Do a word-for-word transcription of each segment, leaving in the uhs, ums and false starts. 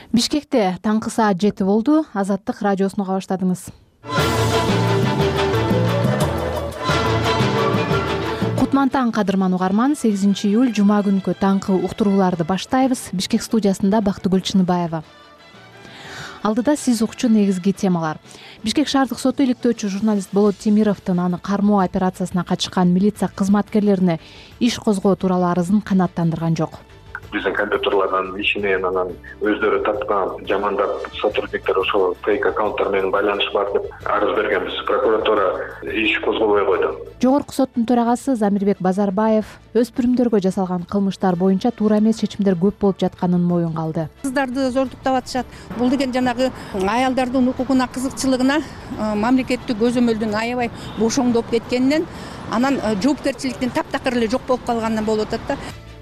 Бишкекте таңкы саат жети болду. Азаттык радиосуну уга баштадыңыз. Кутмантаң кадырман угарман, сегизинчи июль жума күнкү таңкы уктурууларды баштайбыз. Бишкек студиясында Бактыгүл Чыныбаева. Алдыда сиз укчу негизги темалар. Бишкек шаардык соту иликтөөчү журналист Болот Темировдун аны кармоо операциясына катышкан милиция кызматкерлерине иш козгоо тууралуу арызын канааттандырган жок. Биздин компьютерлердин ишинен анан өздөрү тапкан жамандап сотрудниктер ошол фейк аккаунттар менен байланыш бар деп арыз бергенбиз. Прокуратура иш козгобой койду. Жогорку соттун төрагасы Замирбек Базарбаев өспүрүмдөргө жасалган кылмыштар боюнча туура эмес чечимдер көп болуп жатканын моюнга алды. Кыздарды зордуктап атышат. Бул деген жанагы аялдардын укугуна, кызыкчылыгына мамлекеттик көзөмөлдүн аябай бошоңдоп кеткенинен анан жоопкерчиликтин таптакыр эле жок болуп калганынан болуп атат да.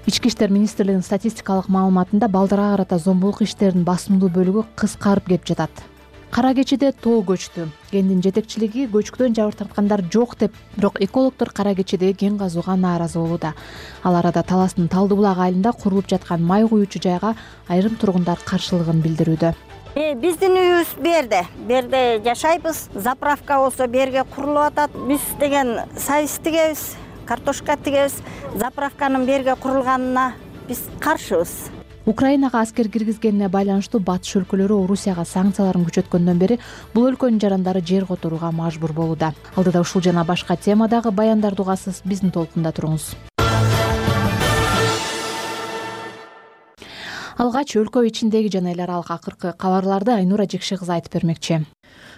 Ички иштер министрлигинин статистикалык маалыматында балдарга карата зомбулук иштеринин басымдуу бөлүгү кыскарып кеп жатат. Кара кечиде тоо көчтү. Кендин жетекчилиги көчкүдөн жабыр тарткандар жок деп, бирок экологдор кара кечидеги кен казууга нааразы болууда. Ал арада Таластын Талды булак айылында курулуп жаткан май куюучу жайга айрым тургундар каршылыгын билдирүүдө. Биздин үйүбүз берде, берде жашайбыз. Заправка болсо берге курулуп атат. Биз деген сайыс тигебиз. Картошка тигебиз. Заправканын берге курулганына биз каршыбыз. Украинага аскер киргизгенине байланыштуу батыш өлкөлөрү Орусияга санкцияларын күчөткөндөн бери бул өлкөнүн жарандары жер которууга мажбур болууда. Алдыда ушул жана башка темадагы баяндарды угасыз, биздин толкунда туруңуз. Алгач өлкө ичиндеги жана эл аралык акыркы кабарларды Айнура Жекши кызы айтып бермекчи.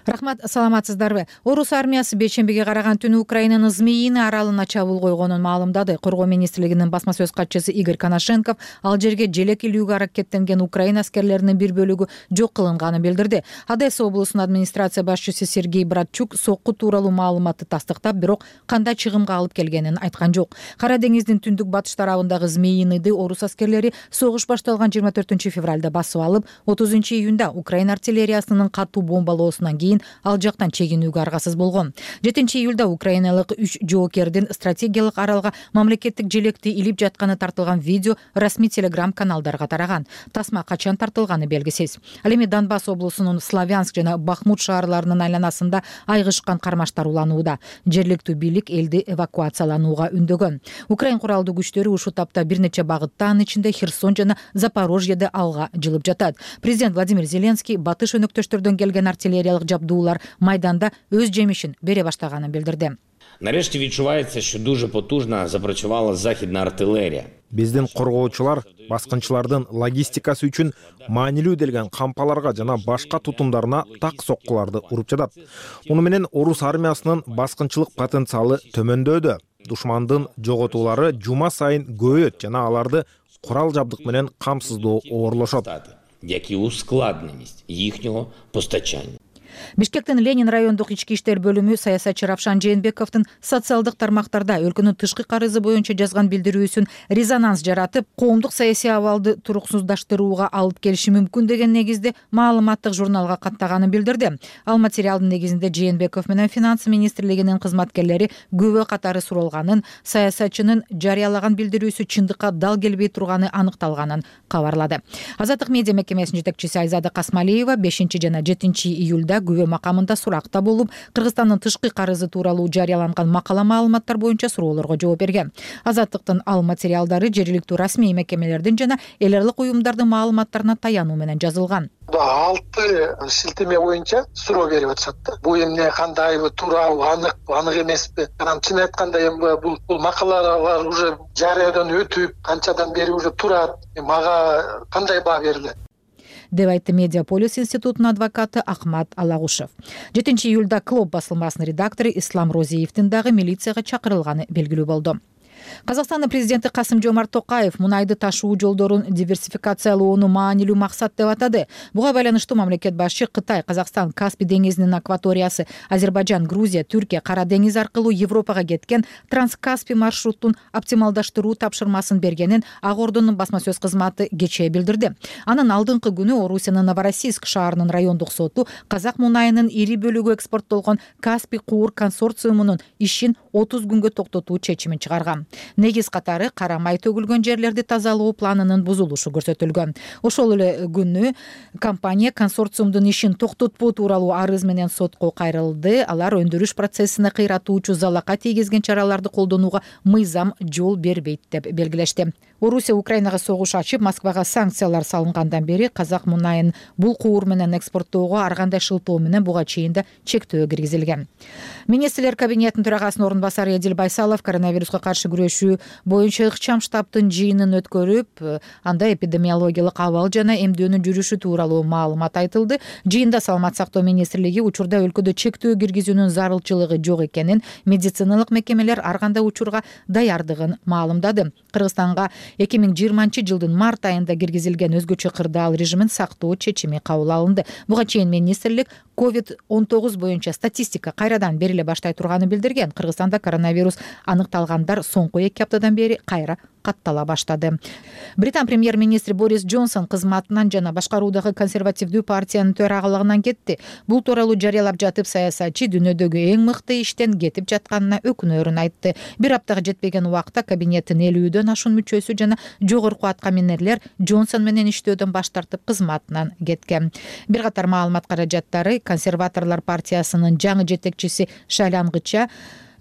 Рахмат, саламатсыздарбы? Орус армиясы бейшембиге караган түнү Украинанын Змеиный аралына чабуул койгонун маалымдады. Коргоо министрлигинин басма сөз катчысы Игорь Коношенков ал жерге желек илүүгө аракеттенген Украина аскерлеринин бир бөлүгү жок кылынганын билдирди. Одесса облусунун администрация башчысы Сергей Братчук сокку тууралуу маалыматты тастыктап, бирок кандай чыгымга алып келгенин айткан жок. Кара деңиздин түндүк батыш тарабындагы Змеиныйды орус аскерлери согуш башталган жыйырма төртүнчү февралда басып алып, отузунчу июнда Украина артиллериясынын катуу бомбалоосунан кийин ал жактан чегинүүгө аргасыз болгон. жетинчи июлда украиналык үч жоокердин стратегиялык аралга мамлекеттик желекти илип жатканы тартылган видео расмий телеграм каналдарга тараган. Тасма качан тартылганы белгисиз. Ал эми Донбасс облусунун Славянск жана Бахмут шаарларынын айланасында айгышкан кармаштар уланууда. Жергиликтүү бийлик элди эвакуацияланууга үндөгөн. Украин куралдуу күчтөрү ушул тапта бир нече багытта, анын ичинде Херсон жана Запорожьеде алга жылып жатат. Президент Владимир Зеленский батыш өнөктөштөрдөн келген артиллериялык жабдуулар майданда өз жемишин бере баштаганын билдирди. Нарешті відчувається, що дуже потужно запрацювала західна артилерія. Биздин коргоочулар баскынчылардын логистикасы үчүн маанилүү делген кампаларга жана башка тутумдарына так соккуларды уруп жатат. Муну менен орус армиясынын баскынчылык потенциалы төмөндөөдө. Душмандын жоготуулары жума сайын көбөйөт жана аларды курал жабдык менен камсыздоо оорлошот. Як і ускладненість їхнього постачання. Бишкектин Ленин райондук ички иштер бөлүмү саясатчы Равшан Жээнбековдун социалдык тармактарда өлкөнүн тышкы карызы боюнча жазган билдирүүсүн резонанс жаратып, коомдук саясий абалды туруксуздаштырууга алып келиши мүмкүн деген негизде маалыматтык журналга каттаганын билдирди. Ал материалдын негизинде Жээнбеков менен финанс министрлигинин кызматкерлери күбө катары суралганын, саясатчынын жарыялаган билдирүүсү чындыкка дал келбей турганы аныкталганын кабарлады. Азаттык медиа мекемесинин жетекчиси Айзада Касмалиева бешинчи жана жетинчи июлда күбө макамында суракта болуп, Кыргызстандын тышкы карызы тууралуу жарыяланган макала маалыматтар боюнча суроолорго жооп берген. Азаттыктын ал материалдары жергиликтүү расмий мекемелердин жана эл аралык уюмдардын маалыматтарына таянуу менен жазылган. алты шилтеме боюнча суроо берип атышат да. Бул эмне, кандайбы, туурабы, анык, анык эмеспи? Анан чын айтканда эми бул бул макалалар уже жарыядан өтүп, канчадан бери уже турат. Мага кандай баа берилет? деп айтты Медиаполис институтунун адвокаты Ахмат Алагушев. жетинчи июлда Клоп басылмасынын редактору Ислам Розиевдин дагы милицияга чакырылганы белгилүү болду. Казакстандын президенти Касым-Жомарт Токаев мунайды ташуу жолдорун диверсификациялоону маанилүү максат деп атады. Буга байланыштуу мамлекет башчы Кытай, Казакстан, Каспий деңизинин акваториясы, Азербайжан, Грузия, Түркия, Кара деңиз аркылуу Европага кеткен Транскаспий маршрутун оптималдаштыруу тапшырмасын бергенин Ак Ордонун басма сөз кызматы кечээ билдирди. Анын алдыңкы күнү Орусиянын Новороссийск шаарынын райондук соту казак мунайынын ири бөлүгү экспорттолгон Каспий куур консорциумунун ишин отуз күнгө токтотуу чечимин чыгарган. Негиз катары кара май төгүлгөн жерлерди тазалоо планынын бузулушу көрсөтүлгөн. Ошол эле күнү компания консорциумдун ишин токтотпоо тууралуу арыз менен сотко кайрылды. Алар өндүрүш процессине кыйратуучу залалга тийгизген чараларды колдонууга мыйзам жол бербейт деп белгилешти. Орусия Украинага согуш ачып, Москвага санкциялар салынгандан бери казак мунайын бул куур менен экспорттоого ар кандай шылтоо менен буга чейин да чектөө киргизилген. Министрлер кабинетинин төрагасынын орун басары Эдил Байсалов коронавируска каршы күрөшүү боюнча ыкчам штабтын жыйынын өткөрүп, анда эпидемиологиялык абал жана эмдөөнүн жүрүшү тууралуу маалымат айтылды. Жыйында Саламат сактоо министрлиги учурда өлкөдө чектөө киргизүүнүн зарылчылыгы жок экенин, медициналык мекемелер ар кандай учурга даярдыгын маалымдады. Кыргызстанга эки миң жыйырманчы жылдын март айында киргизилген өзгөчө кырдаал режимин сактоо чечими кабыл алынды. Буга чейин министрлик ковид он тогуз боюнча статистика кайрадан бериле баштай турганын билдирген. Кыргызстанда коронавирус аныкталгандар соңку эки аптадан бери кайра каттала баштады. Британ премьер-министри Борис Джонсон кызматынан жана башкаруудагы консервативдүү партиянын төрагалыгынан кетти. Бул тууралуу жарыялап жатып, саясатчы дүйнөдөгү эң мыкты иштен кетип жатканына өкүнөрүн айтты. Бир аптага жетпеген убакта кабинеттин элүүдөн ашуун мүчөсү жана жогорку аткаминерлер Джонсон менен иштөөдөн баш тартып кызматынан кеткен. Бир катар маалымат каражаттары консерваторлор партиясынын жаңы жетекчиси шайлангыча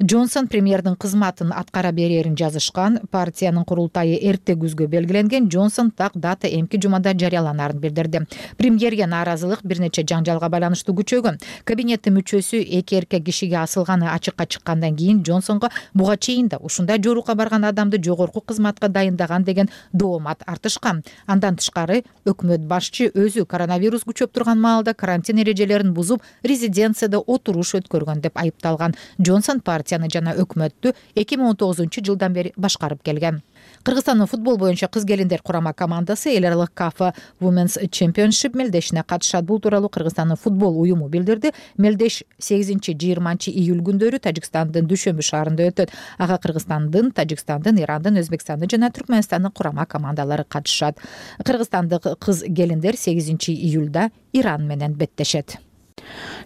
Джонсон премьердин кызматын аткара берерин жазышкан. Партиянын курултайы эрте күзгө белгиленген. Джонсон так дата эмки жумада жарыяланарын билдирди. Премьерге нааразылык бир нече жаңжалга байланыштуу күчөгөн. Кабинеттин мүчөсү эки эркек кишиге асылганы ачыкка чыккандан кийин Джонсонго буга чейин да ушундай жоорукка барган адамды жогорку кызматка дайындаган деген доомат артышкан. Андан тышкары өкмөт башчы өзү коронавирус күчөп турган маалда карантин эрежелерин бузуп, резиденцияда отуруш өткөргөн деп айыпталган. Джонсон партия жана өкмөттү эки миң он тогузунчу жылдан бери башкарып келген. Кыргызстандын футбол боюнча кыз-келиндер курама командасы эл аралык кафа Women's Championship мелдешине катышат. Бул тууралуу Кыргызстандын футбол уюму билдирди. Мелдеш сегизинчи жыйырманчы июль күндөрү Тажикстандын Дүшөмбү шаарында өтөт. Ага Кыргызстандын, Тажикстандын, Ирандын, Өзбекстандын жана Түркмөнстандын курама командалары катышат. Кыргызстандык кыз-келиндер сегизинчи июлда Иран менен беттешет.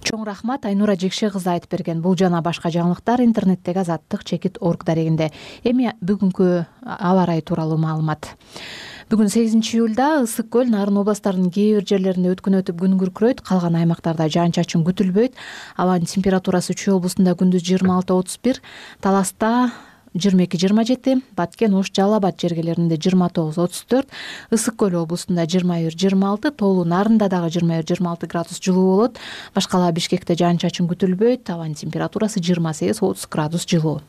Чоң рахмат, Айнура Жекше кызы айтып берген. Бул жана башка жаңылыктар интернеттеги азаттык чекит орг дарегинде. Эми бүгүнкү аба ырайы тууралуу маалымат. Бүгүн сегизинчи июлда Ысык көл, Нарын областарынын кээ бир жерлеринде өткөн өтүп күн күркүрөйт, калган аймактарда жаан-чачын күтүлбөйт. Абанын температурасы Чүй облусунда күндүз жыйырма алты отуз бир, Таласта жыйырма эки жыйырма жети, Баткен, Ош, Жалал Абад жергелеринде жыйырма тогуз отуз төрт, Ысык көл облусунда жыйырма бир жыйырма алты, Тоолу Нарында дагы жыйырма бир жыйырма алты градус жылуу болот. Башкала Бишкекте жаан-чачын күтүлбөйт, абанын температурасы жыйырма сегиз отуз градус жылуу.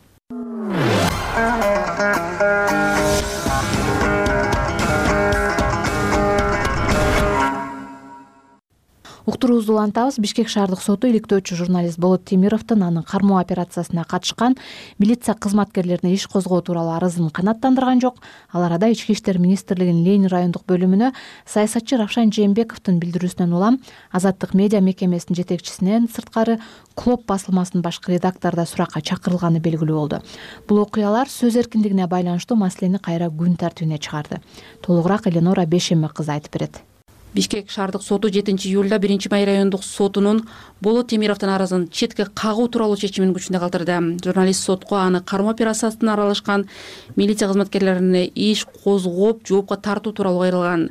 Уктуруубузду улантабыз. Бишкек шаардык соту иликтөөчү журналист Болот Темировдун анын кармоо операциясына катышкан милиция кызматкерлерине иш козгоо тууралуу арызын канааттандырган жок. Ал арада Ички иштер министрлигинин Ленин райондук бөлүмүнө саясатчы Равшан Жээнбековдун билдирүүсүнөн улам Азаттык медиа мекемесинин жетекчисинен сырткары Клоп басылмасынын башкы редактору да суракка чакырылганы белгилүү болду. Бул окуялар сөз эркиндигине байланыштуу маселени кайра күн тартибине чыгарды. Толугураак Эленора Бешембек кызы айтып берет. Бишкек шаардык соту жетинчи июлда биринчи май райондук сотунун Болот Темировдун арызын четке кагуу тууралуу чечимин күчүндө калтырды. Журналист сотко аны кармоо операциясына аралашкан милиция кызматкерлерине иш козгоп, жоопко тартуу тууралуу кайрылган.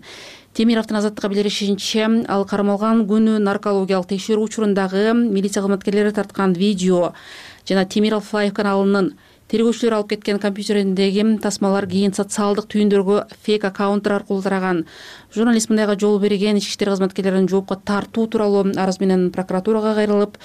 Темировдун Азаттыкка билдиришинче, ал кармалган күнү наркологиялык текшерүү учурундагы милиция кызматкерлери тарткан видео жана Темиров Лайв каналынын тергөөчүлөр алып кеткен компьютериндеги тасмалар кийин социалдык түйүндөргө фейк аккаунттар аркылуу тараган. Журналист мындайга жол берген ички иштер кызматкерлерин жоопко тартуу тууралуу арыз менен прокуратурага кайрылып,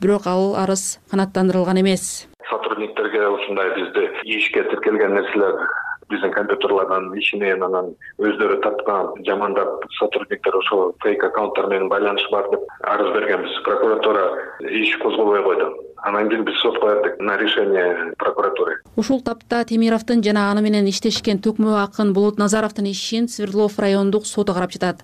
бирок ал арыз канааттандырылган эмес. Сотрудниктерге ушундай бизде ишке тиркелген нерселер биздин компьютерлардан ишинен анан өздөрү тарткан жамандап сотрудниктер ошол фейк аккаунттар менен байланыш бар деп арыз бергенбиз. Прокуратура иш козгобой койду. Анан кийин биз сотко бердик на решение прокуратуры. Ушул тапта Темировдун жана аны менен иштешкен төкмө акын Болот Назаровдун ишин Свердлов райондук соту карап жатат.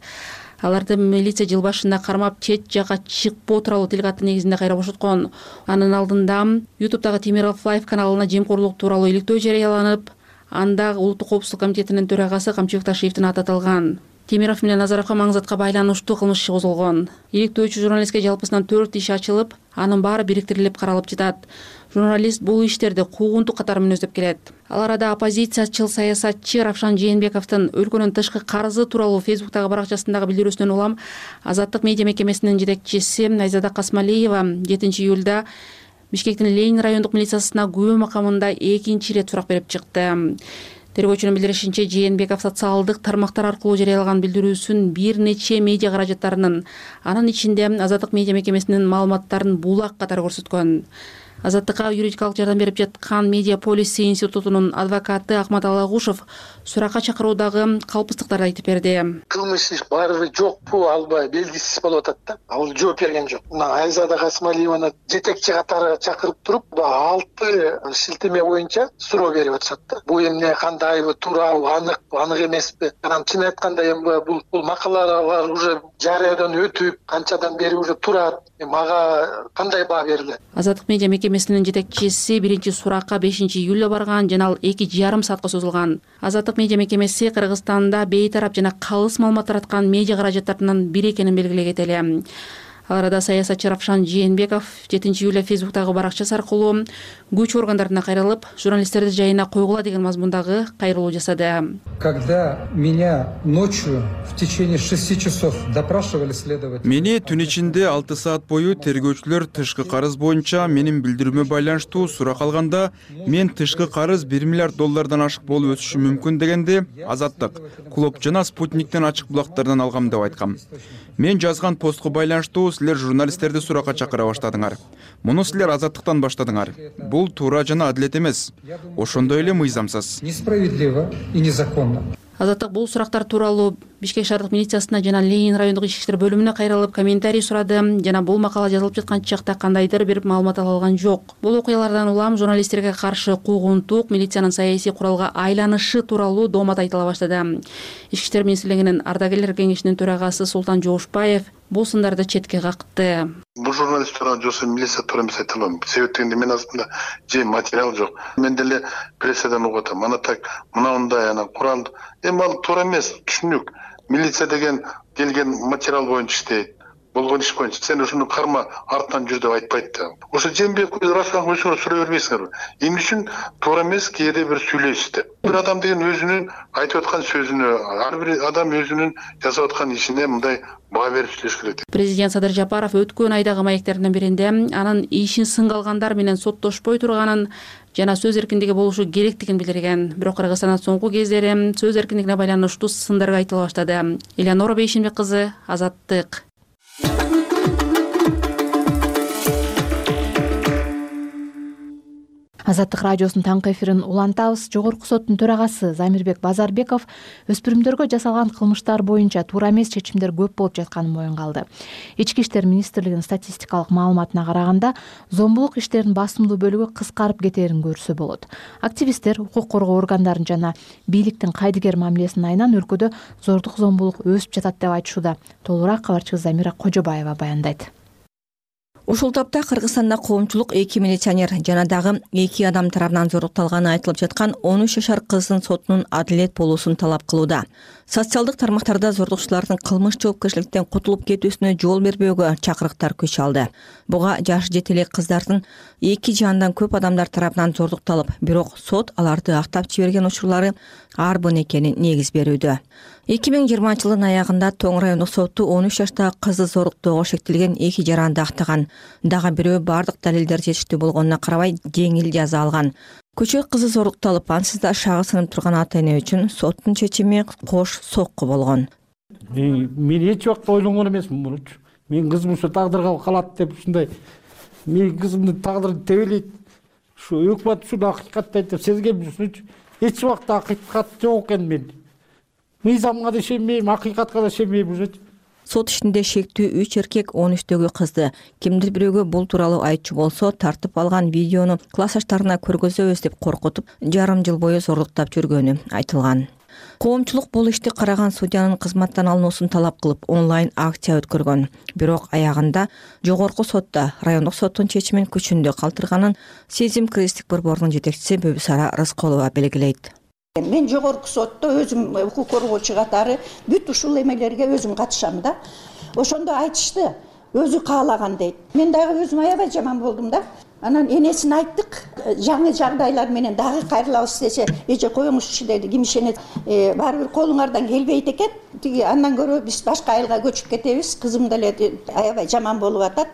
Аларды милиция жыл башында кармап чет жакка чыкпоо тууралуу тил каттын негизинде кайра бошоткон. Анын алдында ютубтагы Темиров Лайв каналына жемкорлук тууралуу иликтөө жарыяланып, анда Улуттук коопсуздук комитетинин төрагасы Камчыбек Ташиевдин аты аталган. Темиров менен Назаровго маң затка байланыштуу кылмыш иши козголгон. Иликтөөчү журналистке жалпысынан төрт иш ачылып, анын баары бириктирилип каралып жатат. Журналист бул иштерди куугунтук катары мүнөздөп келет. Ал арада оппозициячыл саясатчы Равшан Жээнбековдун өлкөнүн тышкы карызы тууралуу Фейсбуктагы баракчасындагы билдирүүсүнөн улам Азаттык медиа мекемесинин жетекчиси Айзада Касмалиева жетинчи июлда Бишкектин Ленин райондук милициясына күбө макамында экинчи ирет сурак берип чыкты. Тергөөчүнүн билдиришинче, Жээнбеков социалдык тармактар аркылуу жарыялаган билдирүүсүн бир нече медиа каражаттарынын, анын ичинде Азаттык медиа мекемесинин маалыматтарын булак катары көрсөткөн. Азаттыкка юридикалык жардам берип жаткан Медиа Полиси институтунун адвокаты Акмат Алагушев суракка чакыруудагы калпыстыктарды айтып берди. Кылмыш иш барбы жокпу, албай белгисиз болуп атат да. Ал жооп берген жок. Мына Айзада Касмалиеваны жетекчи катары чакырып туруп, алты шилтеме боюнча суроо берип атышат да. Бул эмне, кандайбы, туурабы, аныкпы, анык эмеспи? Анан чын айтканда эми бул бул макалалар уже жарыядан өтүп, канчадан бери уже турат. Мага кандай баа берилет? Азаттык медиа мекемесинин жетекчиси биринчи суракка бешинчи июлда барган жана ал эки жарым саатка созулган. Азаттык медиа мекемеси Кыргызстанда бейтарап жана калыс маалымат тараткан медиа каражаттарынын бири экенин белгилеген эле. Ал арада саясатчы Равшан Жээнбеков жетинчи июлда Фейсбуктагы баракчасы аркылуу күч органдарына кайрылып, журналисттерди жайына койгула деген мазмундагы кайрылуу жасады. Когда меня ночью в течение шести часов допрашивали следователи. Мени түн ичинде алты саат бою тергөөчүлөр тышкы карыз боюнча менин билдирүүмө байланыштуу сурак алганда, мен тышкы карыз бир миллиард доллардан ашык болуп өсүшү мүмкүн дегенде, Азаттык, Клоп жана Спутниктен ачык булактардан алгам деп айткам. Мен жазган постко байланыштуу силер журналисттерди суракка чакыра баштадыңар. Муну силер Азаттыктан баштадыңар. Бул туура жана адилет эмес. Ошондой эле мыйзамсыз. Несправедливо и незаконно. Азаттык бул сурактар тууралуу Бишкек шаардык милициясына жана Ленин райондук ички иштер бөлүмүнө кайрылып комментарий сурады жана бул макала жазылып жаткан чакта кандайдыр бир маалымат ала алган жок. Бул окуялардан улам журналисттерге каршы куугунтук, милициянын саясий куралга айланышы тууралуу доомат айтыла баштады. Ички иштер министрлигинин ардагерлер кеңешинин төрагасы Султан Жоошбаев бул сындарды четке какты. Бул журналист тууралуу жоосу милиция туура эмес айта алам. Себеп дегенде мен астында же материал жок. Мен деле прессадан угуп атам. Ана так, мына мындай, ана курал. Эми ал туура эмес, түшүнүк. Милиция деген келген материал боюнча иштейт. Болгон иш боюнча сен ушуну карма, артынан жүр деп айтпайт да. Ошо Жээнбеков Равшан көчүрө сурай бербейсиңерби? Эмне үчүн туура эмес кээде бир сүйлөйсүздөр. Бир адам деген өзүнүн айтып аткан сөзүнө, ар бир адам өзүнүн жасап аткан ишине мындай баа берип сүйлөш керек. Президент Садыр Жапаров өткөн айдагы маектеринин биринде анын ишин сынга алгандар менен соттошпой турганын жана сөз эркиндиги болушу керектигин билдирген. Бирок Кыргызстанда соңку кездери сөз эркиндигине байланыштуу сындар айтыла баштады. Элеонора Бейшенбек кызы, Азаттык. Азаттык радиосунун таңкы эфирин улантабыз. Жогорку соттун төрагасы Замирбек Базарбеков өспүрүмдөргө жасалган кылмыштар боюнча туура эмес чечимдер көп болуп жатканын моюнга алды. Ички иштер министрлигинин статистикалык маалыматына караганда, зомбулук иштеринин басымдуу бөлүгү кыскарып кетээрин көрсө болот. Активисттер укук коргоо органдарын жана бийликтин кайдыгер мамилесин айынан өлкөдө зордук зомбулук өсүп жатат деп айтышууда. Толугураак кабарчыбыз Замира Кожобаева баяндайт. Ушул тапта Кыргызстанда коомчулук эки милиционер жана дагы эки адам тарабынан зорукталганы айтылып жаткан он үч жашар кыздын сотунун адилет болуусун талап кылууда. Социалдык тармактарда зордукчулардын кылмыш жоопкерчиликтен кутулуп кетүүсүнө жол бербөөгө чакырыктар күч алды. Буга жашы жете элек кыздардын эки же андан көп адамдар тарабынан зордукталып, бирок сот аларды актап жиберген учурлары арбын экенин негиз берүүдө. эки миң жыйырманчы жылдын аягында Тоң райондук соту он үч жаштагы кызды зоруктоого шектелген эки жаранды актаган. Дагы бирөө бардык далилдер жетиштүү болгонуна карабай жеңил жаза алган. Көчө кызы зорукталып, ансыз да шагы сынып турган ата-эне үчүн соттун чечими кош сокку болгон. Мен эч убакта ойлонгон эмесмин мунучу. Мен кызым ушу тагдырга калат деп ушундай. Мен кызымдын тагдыры тебелейт. Ушу өкмөт ушуну акыйкаттайт деп сезгем ушунучу. Эч убакта акыйкат жок экен мен. Мыйзамга да ишенбейм, акыйкатка да ишенбейм уже. Сот ишинде шектүү үч эркек он үчтөгү кызды кимдир бирөөгө бул тууралуу айтчу болсо тартып алган видеону классташтарына көргөзөбүз деп коркутуп, жарым жыл бою зорлуктап жүргөнү айтылган. Коомчулук бул ишти караган судьянын кызматтан алынуусун талап кылып, онлайн акция өткөргөн. Бирок аягында жогорку сотто райондук соттун чечимин күчүндө калтырганын Сезим кризистик борборунун жетекчиси Бөбүсара Рысколова белгилейт. Мен жогорку сотто өзүм укук коргоочу катары бүт ушул эмелерге өзүм катышам да. Ошондо айтышты, өзү каалаган дейт. Мен дагы өзүм аябай жаман болдум да. Анан энесине айттык, жаңы жагдайлар менен дагы кайрылабыз десе, эже коюңузчу деди, ким ишенет, баары бир колуңардан келбейт экен. Тиги андан көрө биз башка айылга көчүп кетебиз. Кызым деле аябай жаман болуп атат.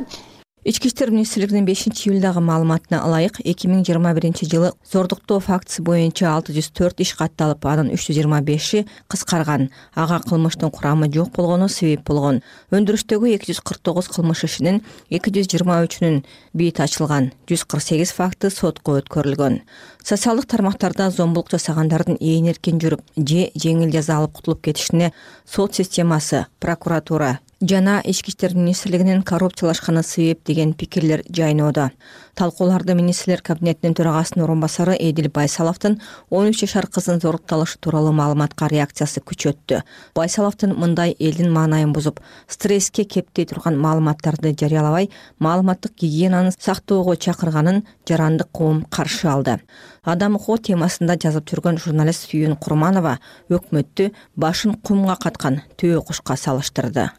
Ички иштер министрлигинин бешинчи июлдагы маалыматына ылайык, эки миң жыйырма биринчи жылы зордуктоо фактысы боюнча алты жүз төрт иш катталып, анын үч жүз жыйырма беши кыскарган. Ага кылмыштын курамы жок болгону себеп болгон. Өндүрүштөгү эки жүз кырк тогуз кылмыш ишинин эки жүз жыйырма үчүнүн бийит ачылган, жүз кырк сегиз факты сотко өткөрүлгөн. Социалдык тармактарда зомбулук жасагандардын ээн эркин жүрүп же жеңил жаза алып кутулуп кетишине сот системасы, прокуратура жана ички иштер министрлигинин коррупциялашканы себеп деген пикирлер жайноодо. Талкууларды министрлер кабинетинин төрагасынын орун басары Эдил Байсаловдун он үч жашар кыздын зорукталышы тууралуу маалыматка реакциясы күчөттү. Байсаловдун мындай элдин маанайын бузуп, стресске кептей турган маалыматтарды жарыялабай, маалыматтык гигиенаны сактоого чакырганын жарандык коом каршы алды. Адам укугу темасында жазып жүргөн журналист Сүйүн Курманова өкмөттү башын кумга каткан төө кушка салыштырды.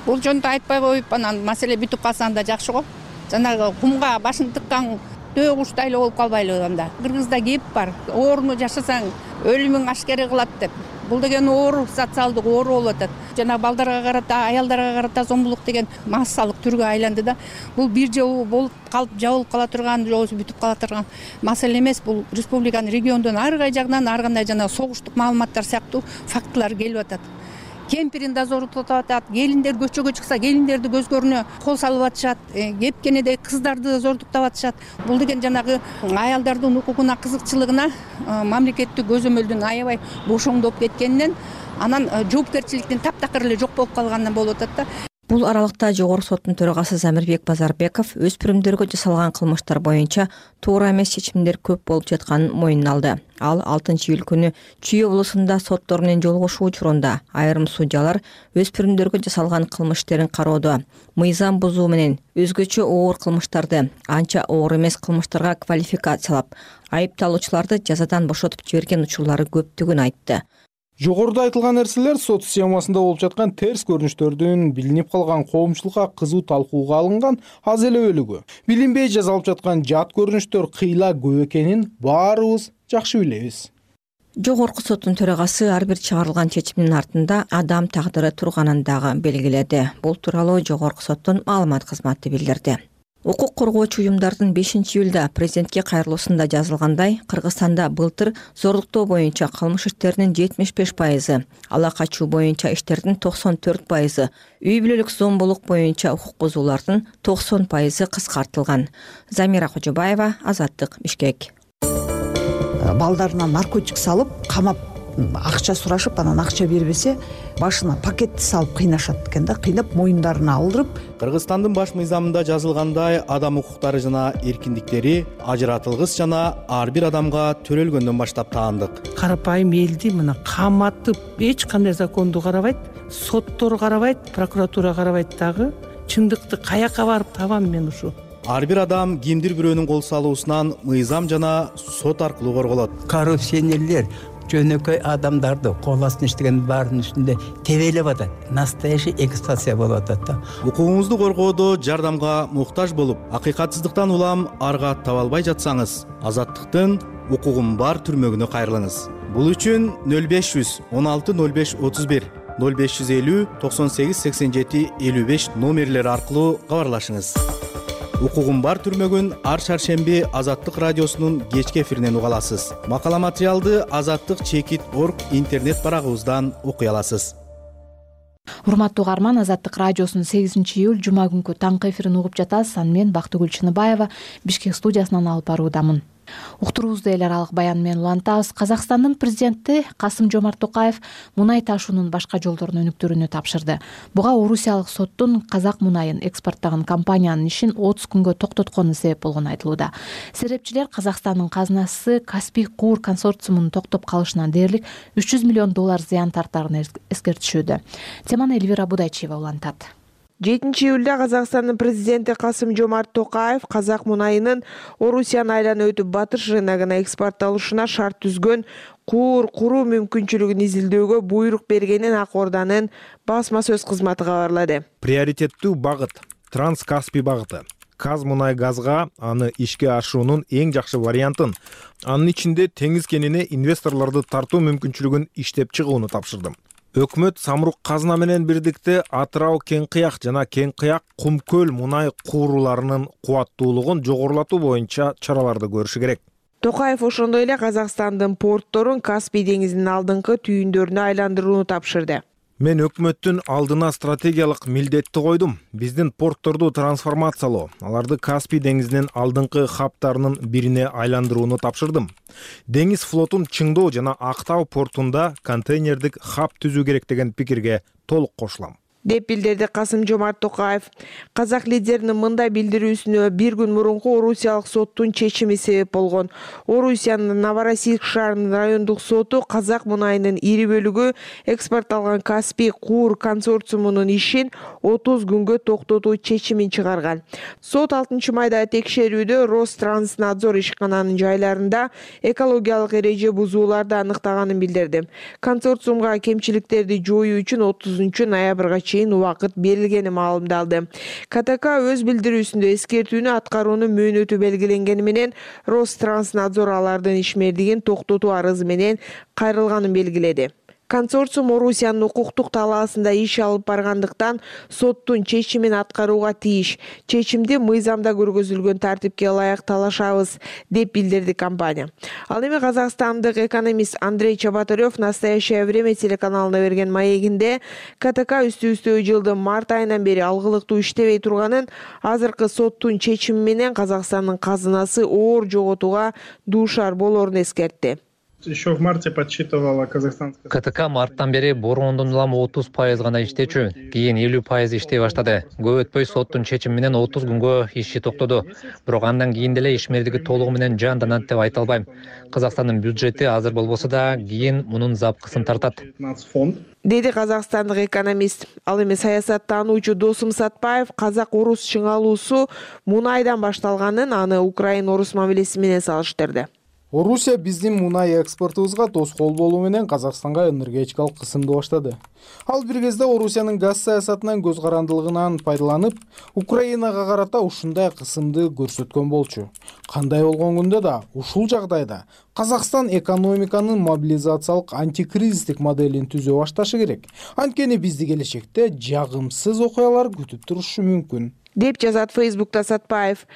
Бул жөнүндө айтпай коюп, анан маселе бүтүп калса анда жакшы го. Жанагы кумга башын тыккан төө куштайлы болуп калбайлы анда. Кыргызда кеп бар. Ооруну жашасаң өлүмүң ашкере кылат деп. Бул деген оору, социалдык оору болуп атат. Жана балдарга карата, аялдарга карата зомбулук деген массалык түргө айланды да. Бул бир жолу болуп калып, жабылып кала турган, же бүтүп кала турган маселе эмес. Бул республиканын региондон ар кай жагынан ар кандай жана согуштук маалыматтар сыяктуу фактылар келип атат. Кемпирин да зорутуп атат, келиндер көчөгө чыкса, келиндерди көзгөрүнө кол салып атышат, кепкенеде кыздарды зордуктап атышат. Бул деген жанагы аялдардын укугуна, кызыкчылыгына мамлекеттик көзөмөлдүн аябай бошоңдоп кеткенинен, анан жоопкерчиликтин таптакыр эле жок болуп калганынан болуп атат да. Бул аралыкта Жогорку соттун төрагасы Замирбек Базарбеков өспүрүмдөргө жасалган кылмыштар боюнча туура эмес чечимдер көп болуп жатканын моюнуна алды. Ал алтынчы июль күнү Чүй облусунда соттор менен жолугушуу учурунда айрым судьялар өспүрүмдөргө жасалган кылмыш иштерин кароодо мыйзам бузуу менен өзгөчө оор кылмыштарды анча оор эмес кылмыштарга квалификациялап, айыпталуучуларды жазадан бошотуп жиберген учурлары көптүгүн айтты. Жогоруда айтылган нерселер сот системасында болуп жаткан терс көрүнүштөрдүн билинип калган коомчулукка кызуу талкууга алынган аз эле бөлүгү. Билинбей жасалып жаткан жат көрүнүштөр кыйла көп экенин баарыбыз жакшы билебиз. Жогорку соттун төрагасы ар бир чыгарылган чечимдин артында адам тагдыры турганын дагы белгиледи. Бул тууралуу Жогорку соттун маалымат кызматы билдирди. Укук коргоочу уюмдардын бешинчи июлда президентке кайрылуусунда жазылгандай, Кыргызстанда былтыр зордуктоо боюнча кылмыш иштеринин жетимиш беш пайызы, ала качуу боюнча иштердин токсон төрт пайызы, үй бүлөлүк зомбулук боюнча укук бузуулардын токсон пайызы кыскартылган. Замира Кожобаева, Азаттык, Бишкек. Балдарына наркотик салып, камап акча сурашып, анан акча бербесе, башына пакетти салып кыйнашат экен да, кыйнап моюндарына алдырып. Кыргызстандын баш мыйзамында жазылгандай, адам укуктары жана эркиндиктери ажыратылгыс жана ар бир адамга төрөлгөндөн баштап таандык. Карапайым элди мына каматып, эч кандай законду карабайт, соттор карабайт, прокуратура карабайт дагы. Чындыкты каяка барып табам мен ушу? Ар бир адам кимдир бирөөнүн кол салуусунан мыйзам жана сот аркылуу корголот. Коррупционерлер жөнөкөй адамдарды кол астына иштеген баарынын үстүндө тебелеп атат. Настоящий эксплуатация болуп атат да. Укугуңузду коргоодо жардамга муктаж болуп, акыйкатсыздыктан улам арга таба албай жатсаңыз, Азаттыктын укугум бар түрмөгүнө кайрылыңыз. Бул үчүн нөл беш жүз он алты нөл беш отуз бир, нөл беш жүз элүү токсон сегиз сексен жети элүү беш номерлери аркылуу кабарлашыңыз. Укугум бар түрмөгүн ар шаршемби Азаттык радиосунун кечки эфиринен уга аласыз. Макала материалды азаттык чекит точка орг интернет барагыбыздан окуй аласыз. Урматтуу угарман, Азаттык радиосунун сегизинчи июль жума күнкү таңкы эфирин угуп жатасыз. Аны мен Бактыгүл Чыныбаева Бишкек студиясынан алып баруудамын. Уктуруубузду эл аралык баян менен улантабыз. Казакстандын президенти Касым Жомарт Токаев мунай ташуунун башка жолдорун өнүктүрүүнү тапшырды. Буга Орусиялык соттун казак мунайын экспорттогон компаниянын ишин отуз күнгө токтоткону себеп болгону айтылууда. Серепчилер Казакстандын казынасы Каспий Куур консорциумунун токтоп калышынан дээрлик үч жүз миллион доллар зыян тартарын эскертишүүдө. Теманы Эльвира Будайчиева улантат. жетинчи июлда Казакстандын президенти Касым Жомарт Токаев казак мунайынын Орусияны айланып өтүп батыш рыногуна экспортталышына шарт түзгөн куур куруу мүмкүнчүлүгүн изилдөөгө буйрук бергенин Ак Орданын басма сөз кызматы кабарлады. Приоритеттүү багыт Транскаспий багыты. Казмунайгазга аны ишке ашуунун эң жакшы вариантын, анын ичинде теңиз кенине инвесторлорду тартуу мүмкүнчүлүгүн иштеп чыгууну тапшырдым. Өкмөт Самрук казына менен бирдикте Атырау Кең Кыяк жана Кең Кыяк Кумкөл мунай кууруларынын кубаттуулугун жогорулатуу боюнча чараларды көрүшү керек. Токаев ошондой эле Казакстандын портторун Каспий деңизинин алдыңкы түйүндөрүнө айландырууну тапшырды. Мен өкмөттүн алдына стратегиялык милдетти койдум. Биздин портторду трансформациялоо, аларды Каспий деңизинин алдыңкы хабтарынын бирине айландырууну тапшырдым. Деңиз флотун чыңдоо жана Актау портунда контейнердик хаб түзүү керек деген пикирге толук кошулам, деп билдирди Касым-Жомарт Токаев. Казак лидеринин мындай билдирүүсүнө бир күн мурунку Орусиялык соттун чечими себеп болгон. Орусиянын Новороссийск шаарынын райондук соту казак мунайынын ири бөлүгү экспортталган Каспий Куур консорциумунун ишин отуз күнгө токтотуу чечимин чыгарган. Сот алтынчы майда текшерүүдө Ространснадзор ишкананын жайларында экологиялык эреже бузууларды аныктаганын билдирди. Консорциумга кемчиликтерди жоюу үчүн отузунчу ноябрга чейин убакыт берилгени маалымдалды. КТК өз билдирүүсүндө эскертүүнү аткаруунун мөөнөтү белгиленгени менен Ространснадзор алардын ишмердигин токтотуу арызы менен кайрылганын белгиледи. Консорциум Орусиянын укуктук талаасында иш алып баргандыктан соттун чечимин аткарууга тийиш. Чечимди мыйзамда көргөзүлгөн тартипке ылайык талашабыз, деп билдирди компания. Ал эми казакстандык экономист Андрей Чеботарев «Настоящее время» телеканалына берген маегинде КТК үстү-үстө жылдын март айынан бери алгылыктуу иштебей турганын, азыркы соттун чечими менен Казакстандын казынасы оор жоготууга дуушар болорун эскертти. Еще в марте подсчитывала казахстанская. КТК марттан бери бороондон улам отуз пайыз гана иштечү, кийин элүү пайыз иштей баштады. Көп өтпөй соттун чечими менен отуз күнгө иши токтоду. Бирок андан кийин деле ишмердиги толугу менен жанданат деп айта албайм. Казакстандын бюджети азыр болбосо да, кийин мунун запкысын тартат, деди казакстандык экономист. Ал эми саясаттануучу Досум Сатпаев казак-орус чыңалуусу мунайдан башталганын, аны Украин-орус мамилеси менен салыштырды. Орусия биздин мунай экспортубузга тоскоол болуу менен Казакстанга энергетикалык кысымды баштады. Ал бир кезде Орусиянын газ саясатынан көз карандылыгынан пайдаланып, Украинага карата ушундай кысымды көрсөткөн болчу. Кандай болгон күндө да ушул жагдайда Казакстан экономиканын мобилизациялык антикризистик моделин түзө башташы керек. Анткени бизди келечекте жагымсыз окуялар күтүп турушу мүмкүн, деп жазат Фейсбукта Сатпаев.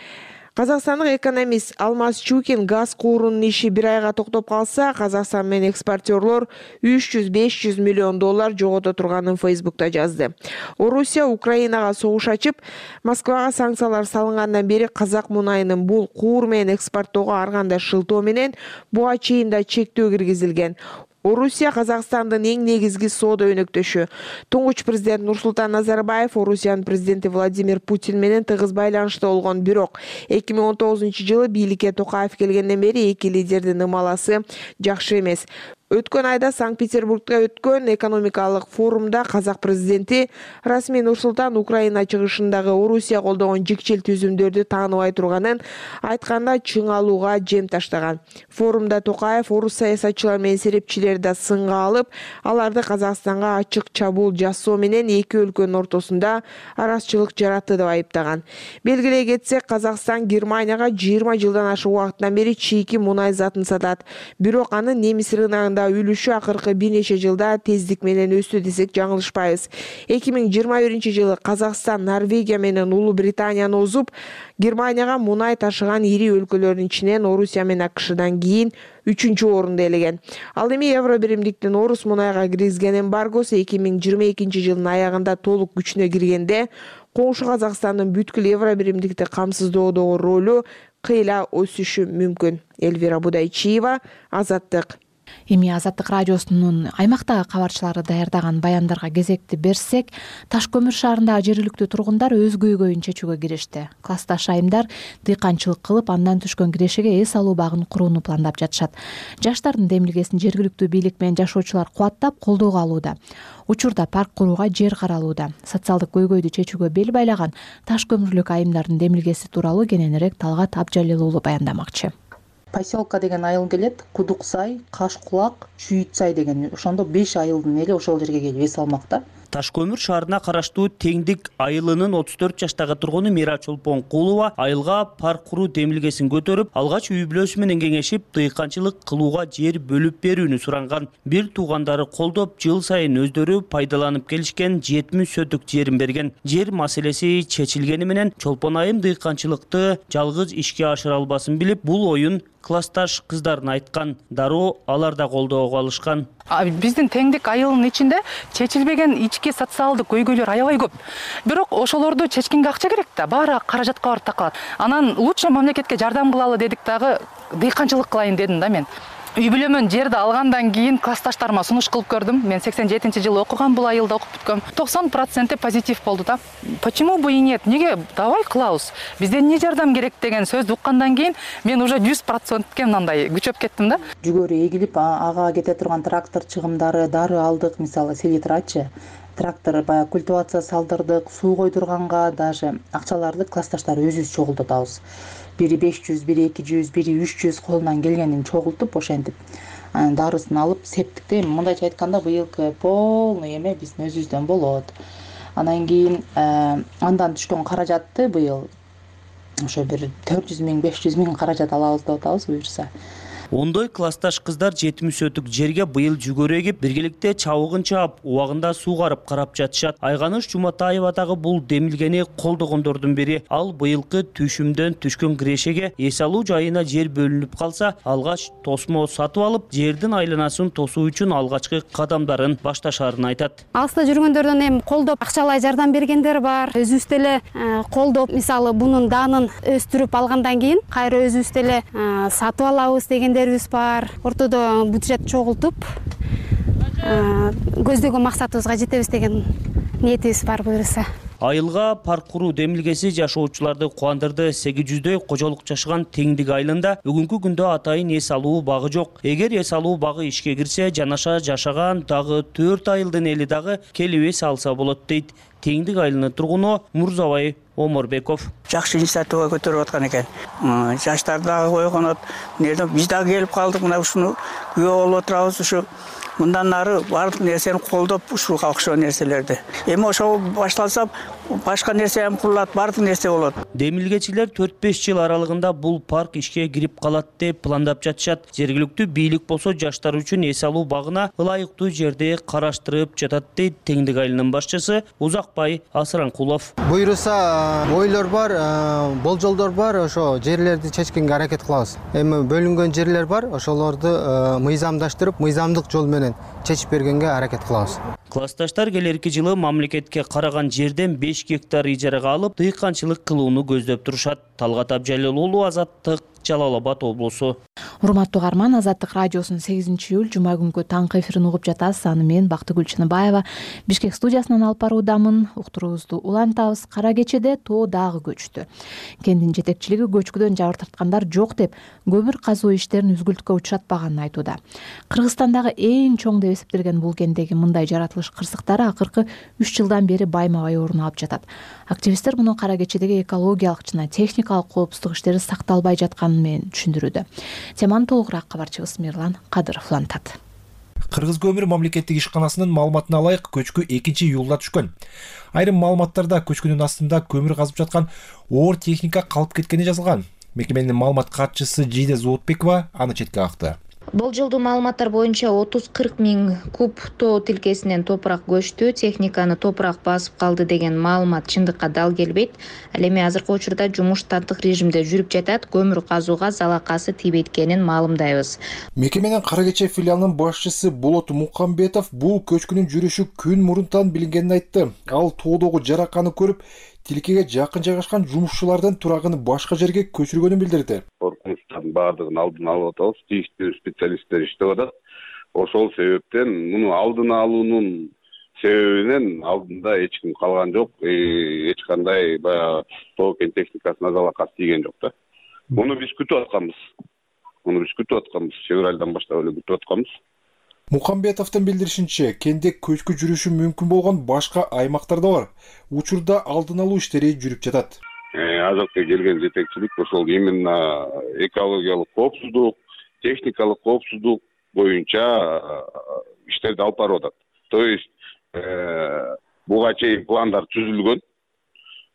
Казакстандык экономист Алмаз Чукин газ куурунун иши бир айга токтоп калса, Казакстан менен экспортерлор үч жүз беш жүз миллион доллар жогото турганын Фейсбукта жазды. Орусия Украинага согуш ачып, Москвага санкциялар салынгандан бери казак мунайынын бул куур менен экспорттоого ар кандай шылтоо менен буга чейин да чектөө киргизилген. Орусия Казакстандын эң негизги соода өнөктөшү. Туңгуч президент Нурсултан Назарбаев Орусиянын президенти Владимир Путин менен тыгыз байланышта болгон, бирок эки миң он тогузунчу жылы бийликке Токаев келгенден бери эки лидердин ымаласы жакшы эмес. Өткөн айда Санкт-Петербургда өткөн экономикалык форумда казак президенти расмий Нурсултан Украина чыгышындагы Орусия колдогон жикчил түзүмдөрдү тааныбай турганын айтканда чыңалууга жем таштаган. Форумда Токаев орус саясатчылар менен серепчилерди да сынга алып, аларды Казакстанга ачык чабуул жасоо менен эки өлкөнүн ортосунда арачылык жаратты деп айыптаган. Белгилей кетсек, Казакстан Германияга жыйырма жылдан ашык убакыттан бери чийки мунай затын сатат. Бирок анын немис рыногунда үлүшү акыркы бир нече жылда тездик менен өстү десек жаңылышпайбыз. эки миң жыйырма биринчи жылы Казакстан Норвегия менен Улуу Британияны озуп, Германияга мунай ташыган ири өлкөлөрдүн ичинен Орусия менен АКШдан кийин үчүнчү орунду ээлеген. Ал эми евро биримдиктин орус мунайга киргизген эмбаргосу эки миң жыйырма экинчи жылдын аягында толук күчүнө киргенде, коңшу Казакстандын бүткүл евро биримдикти камсыздоодогу ролу кыйла өсүшү мүмкүн. Элвира Будайчиева, Азаттык. Эми Азаттык радиосунун аймактагы кабарчылары даярдаган баяндарга кезекти берсек, Таш көмүр шаарындагы жергиликтүү тургундар өз көйгөйүн чечүүгө киришти. Классташ айымдар дыйканчылык кылып, андан түшкөн кирешеге эс алуу багын курууну пландап жатышат. Жаштардын демилгесин жергиликтүү бийлик менен жашоочулар кубаттап, колдоого алууда. Учурда парк курууга жер каралууда. Социалдык көйгөйдү чечүүгө бел байлаган Таш көмүрлүк айымдардын демилгеси тууралуу кененирээк Талгат Абжалил уулу баяндамакчы. Поселка деген айыл келет, Кудук сай, Каш кулак, Чүйүт сай деген. Ошондо беш айылдын эли ошол жерге келип эс алмакта. Таш көмүр шаарына караштуу Теңдик айылынын отуз төрт жаштагы тургуну Мира Чолпонкулова айылга парк куруу демилгесин көтөрүп, алгач үй бүлөсү менен кеңешип, дыйканчылык кылууга жер бөлүп берүүнү суранган. Бир туугандары колдоп, жыл сайын өздөрү пайдаланып келишкен жетимиш соток жерин берген. Жер маселеси чечилгени менен Чолпон айым дыйканчылыкты жалгыз ишке ашыра албасын билип, бул оюн классташ кыздарына айткан. Дароо алар да колдоого алышкан. Биздин Теңдик айылынын ичинде чечилбеген ички социалдык көйгөйлөр аябай көп. Бирок ошолорду чечкенге акча керек да, баары каражатка барып такалат. Анан лучше мамлекетке жардам кылалы дедик дагы, дыйканчылык кылайын дедим да мен. Үй бүлөмөн жерди алгандан кийин классташтарыма сунуш кылып көрдүм. Мен сексен жетинчи жылы окугам, бул айылда окуп бүткөм. токсон проценти позитив болду да. Почему бы и нет? Неге давай кылабыз? Бизден эмне жардам керек деген сөздү уккандан кийин мен уже жүз процентке мындай күчөп кеттим да. Жүгөрү эгилип, ага кете турган трактор чыгымдары, дары алдык, мисалы селитрачы. Трактор баягы культивация салдырдык, суу койдурганга даже акчаларды классташтар өзүбүз чогултабыз. Бири беш жүз, бири эки жүз, бири үч жүз колунан келгенин чогултуп ошентип дарысын алып септикте, мындайча айтканда быйылкы полный эме биздин өзүбүздөн болот. Анан кийин андан түшкөн каражатты быйыл ошо бир төрт жүз миң, беш жүз миң каражат алабыз деп атабыз буюрса. Ондой классташ кыздар жетимиш соток жерге быйыл жүгөрү эгип, биргеликте чабыгын чаап, убагында суугарып карап жатышат. Айганыш Жуматаева дагы бул демилгени колдогондордун бири. Ал быйылкы түшүмдөн түшкөн кирешеге эс алуу жайына жер бөлүнүп калса, алгач тосмо сатып алып, жердин айланасын тосуу үчүн алгачкы кадамдарын башташарын айтат. Алыста жүргөндөрдөн эми колдоп акчалай жардам бергендер бар. Өзүбүз деле колдоп, мисалы бунун данын өстүрүп алгандан кийин кайра өзүбүз деле сатып алабыз дегендер бар. Ортодо бюджет чогултуп, көздөгөн максатыбызга жетебиз деген ниетибиз бар буюрса. Айылга парк куруу демилгеси жашоочуларды кубандырды. сегиз жүздөй кожолук жашаган Теңдик айылында бүгүнкү күндө атайын эс алуу багы жок. Эгер эс алуу багы ишке кирсе, жанаша жашаган дагы төрт айылдын эли дагы келип эс алса болот дейт Теңдик айылынын тургуну Мурзабай Оморбеков. Жакшы инициатива көтөрүп аткан экен. Жаштар дагы койгонот. Биз дагы келип калдык, мына ушуну күбө болуп отурабыз. Ушу мындан нары баардык нерсени колдоп, ушуга окшогон нерселерди. Эми ошол башталса, башка нерсе ham курулат, баардык нерсе болот. Демилгечилер төрт беш жыл аралыгында бул парк ишке кирип калат деп пландап жатышат. Жергиликтүү бийлик болсо жаштар үчүн эс алуу багына ылайыктуу жерди караштырып жатат дейт Теңдик айылынын башчысы Узакбай Асыранкулов. Буйруса ойлор бар, болжолдор бар, ошо жерлерди чечкенге аракет кылабыз. Эми бөлүнгөн жерлер бар, ошолорду мыйзамдаштырып, мыйзамдык жол менен чечип бергенге аракет кылабыз. Классташтар келерки жылы мамлекетке караган жерден беш гектар ижарага алып, дыйканчылык кылууну көздөп турушат. Талгат Абжалил уулу, Азаттык, Жалал Абад облусу. Урматтуу угарман, Азаттык радиосунун сегизинчи июль жума күнкү таңкы эфирин угуп жатасыз. Аны мен Бактыгүл Чыныбаева Бишкек студиясынан алып баруудамын. Уктуруубузду улантабыз. Кара кечеде тоо дагы көчтү. Кенттин жетекчилиги көчкүдөн жабыр тарткандар жок деп, көмүр казуу иштерин үзгүлтүккө учуратпаганын айтууда. Кыргызстандагы эң чоң деп эсептелген бул кенттеги мындай жаратылыш кырсыктары акыркы үч жылдан бери байма-бай орун алып жатат. Активисттер муну кара кечедеги экологиялык жана техникалык коопсуздук иштери сакталбай жатканын менен түшүндүрүүдө. Теманы толугураак кабарчыбыз Мирлан Кадыров улантат. Кыргыз көмүр мамлекеттик ишканасынын маалыматына ылайык көчкү экинчи июлда түшкөн. Айрым маалыматтарда көчкүнүн астында көмүр казып жаткан оор техника калып кеткени жазылган. Мекеменин маалымат катчысы Жиде Зоотбекова аны четке какты. Болжолдуу маалыматтар боюнча отуз кырк миң куб тоо тилкесинен топурак көчтү, техниканы топурак басып калды деген маалымат чындыкка дал келбейт. Ал эми азыркы учурда жумуш штаттык режимде жүрүп жатат, көмүр казууга залакасы тийбейт экенин маалымдайбыз. Мекеменин Кара Кече филиалынын башчысы Болот Мукамбетов бул көчкүнүн жүрүшү күн мурунтан билингенин айтты. Ал тоодогу жараканы көрүп, тилкеге жакын жайгашкан жумушчулардын турагын башка жерге көчүргөнүн билдирди. Коркунучтардын баардыгын алдын алып атабыз, тийиштүү специалисттер иштеп атат. Ошол себептен муну алдын алуунун себебинен алдында эч ким калган жок, эч кандай баягы тоо кен техникасына залакасы тийген жок да. Муну биз күтүп атканбыз. Муну биз күтүп атканбыз, февралдан баштап эле күтүп атканбыз. Мукамбетовдун билдиришинче, кенде көчкү жүрүшү мүмкүн болгон башка аймактар да бар. Учурда алдын алуу иштери жүрүп жатат. Азыркы келген жетекчилик ошол именно экологиялык коопсуздук, техникалык коопсуздук боюнча иштерди алып барып атат. То есть буга чейин пландар түзүлгөн.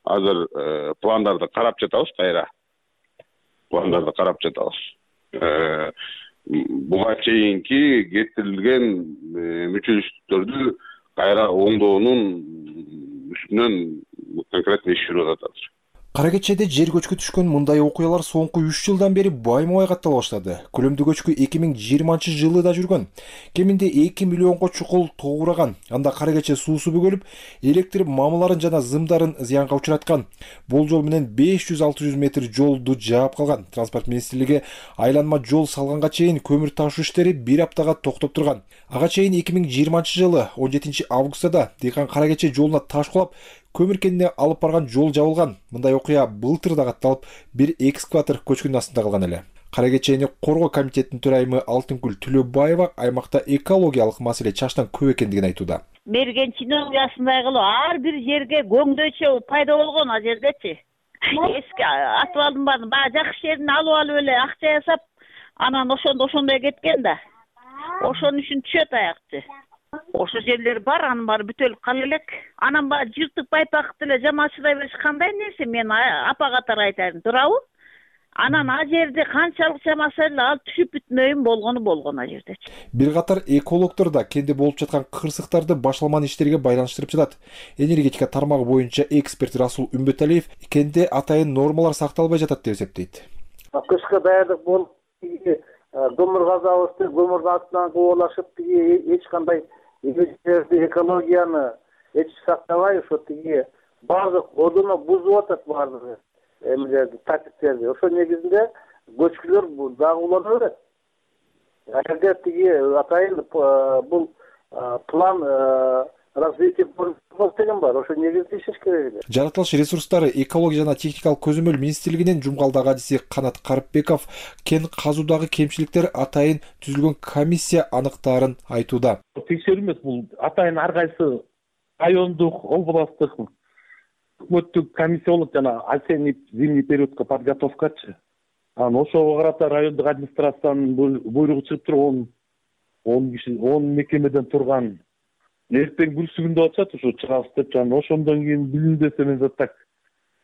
Азыр пландарды карап жатабыз, кайра. Пландарды карап жатабыз. Буга чейинки кетирилген мүчөчүлүктөрдү кайра оңдоонун үстүнөн конкретно иш жүрүп атат. Кара Кечеде жер көчкү түшкөн мындай окуялар соңку үч жылдан бери байма-бай каттала баштады. Көлөмдүү көчкү эки миң жыйырманчы жылы да жүргөн. Кеминде эки миллионго чукул тоогураган. Анда Кара Кече суусу бөгөлүп, электр мамыларын жана зымдарын зыянга учураткан. Болжол менен беш жүз алты жүз метр жолду жаап калган. Транспорт министрлиги айланма жол салганга чейин көмүр ташуу иштери бир аптага токтоп турган. Ага чейин эки миң жыйырманчы жылы он жетинчи августта дыйкан Кара Кече жолуна таш кулап, көмүр кенине алып барган жол жабылган. Мындай окуя былтыр да катталып, бир экскаватор көчкүнүн астында калган эле. Кара Кечени коргоо комитетинин төрайымы Алтынгүл Төлөбаева аймакта экологиялык маселе чачтан көп экендигин айтууда. Берген чиновниясындай кылып ар бир жерге көңдөчө пайда болгон ал жердечи. Эски атып алдым баарын, баягы жакшы жерин алып алып эле акча жасап, анан ошондо ошондой кеткен да. Ошонун үчүн түшөт аякчы. Ошо жерлер бар, анын баары бүтөлүп кала элек. Анан баягы жыртык байпакты эле жамачыдай бериш кандай нерсе, мен апа катары айтайын, туурабы? Анан а жерде канчалык чамаса эле ал түшүп бүтмөйүн болгону болгон а жерде. Бир катар экологдор да кенде болуп жаткан кырсыктарды башталман иштерге байланыштырып жатат. Энергетика тармагы боюнча эксперт Расул Үмбөталиев кенде атайын нормалар сакталбай жатат деп эсептейт. Кышка даярдык болуп, көмүр казабызды көмүрдүн астынан кубалашып, эч кандай экологияны эч сактабай, ошо тиги баардык одуну бузуп атат баардыгы. Эмилерди, тартиптерди. Ошо негизинде көчкүлөр дагы улана берет. Эгерде тиги атайын бул план развития деген бар. Ошо негизинде иштеш керек эле. Жаратылыш ресурстары, экология жана техникалык көзөмөл министрлигинин Жумгалдагы адиси Канат Карпбеков кен казуудагы кемчиликтер атайын түзүлгөн комиссия аныктаарын айтууда. Текшерүү эмес, бул атайын ар кайсы райондук, областтык өкмөттүк комиссия болот, жана осенний зимний периодко подготовкачы. Анан ошого карата райондук администрациянын буйругу чыгып турган он киши, он мекемеден турган. Эртең бүрсүгүндө атышат, ошо чыгабыз деп, жана ошондон кийин билим десе мен так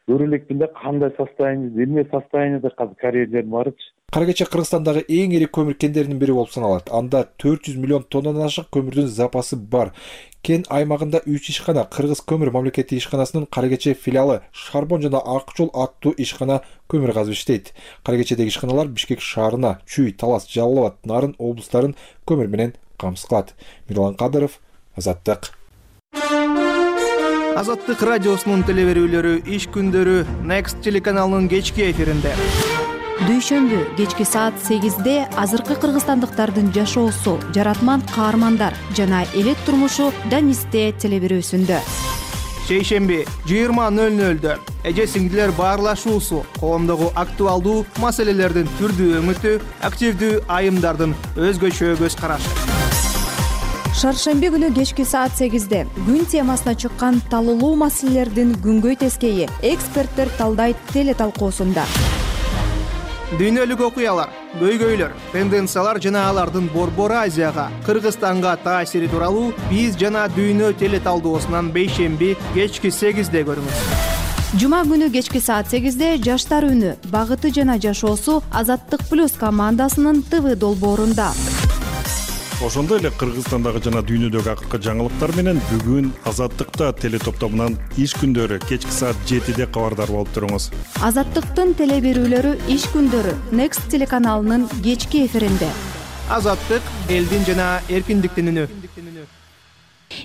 көрө элекмин да, кандай состояние, эмне состояниеде азыр карьерлер барычы. Кара Кече Кыргызстандагы эң ири көмүр кендеринин бири болуп саналат. Анда төрт жүз миллион тоннадан ашык көмүрдүн запасы бар. Кен аймагында үч ишкана, Кыргыз көмүр мамлекеттик ишканасынын Кара Кече филиалы, Шарбон жана Ак жол аттуу ишкана көмүр казып иштейт. Кара Кечедеги ишканалар Бишкек шаарына, Чүй, Талас, Жалал Абад, Нарын облустарын көмүр менен камсыз кылат. Мирлан Кадыров, Азаттык. Азаттык радиосунун телеберүүлөрү иш күндөрү Next телеканалынын кечки эфиринде. Дүйшөмбү кечки саат сегизде азыркы кыргызстандыктардын жашоосу, жаратман каармандар жана элет турмушу Данисте телеберүүсүндө. Шейшемби жыйырма нөл нөлдө эже сиңдилер баарлашуусу, коомдогу актуалдуу маселелердин түрдүү өңүтү, активдүү айымдардын өзгөчө көз карашы. Шаршемби күнү кечки саат сегизде күн темасына чыккан талуулуу маселелердин күнгөй тескейи эксперттер талдайт теле талкуусунда. Дүйнөлүк окуялар, көйгөйлөр, тенденциялар жана алардын Борбор Азияга, Кыргызстанга таасири тууралуу биз жана дүйнө теле талдоосунан бейшемби кечки сегизде көрүңүз. Жума күнү кечки саат сегизде жаштар үнү, багыты жана жашоосу Азаттык плюс командасынын ТВ долбоорунда. Ошондой эле Кыргызстандагы жана дүйнөдөгү акыркы жаңылыктар менен бүгүн Азаттыкта теле топтомунан иш күндөрү кечки саат жетиде кабардар болуп туруңуз. Азаттыктын теле берүүлөрү иш күндөрү Next телеканалынын кечки эфиринде. Азаттык элдин жана эркиндиктин үнү.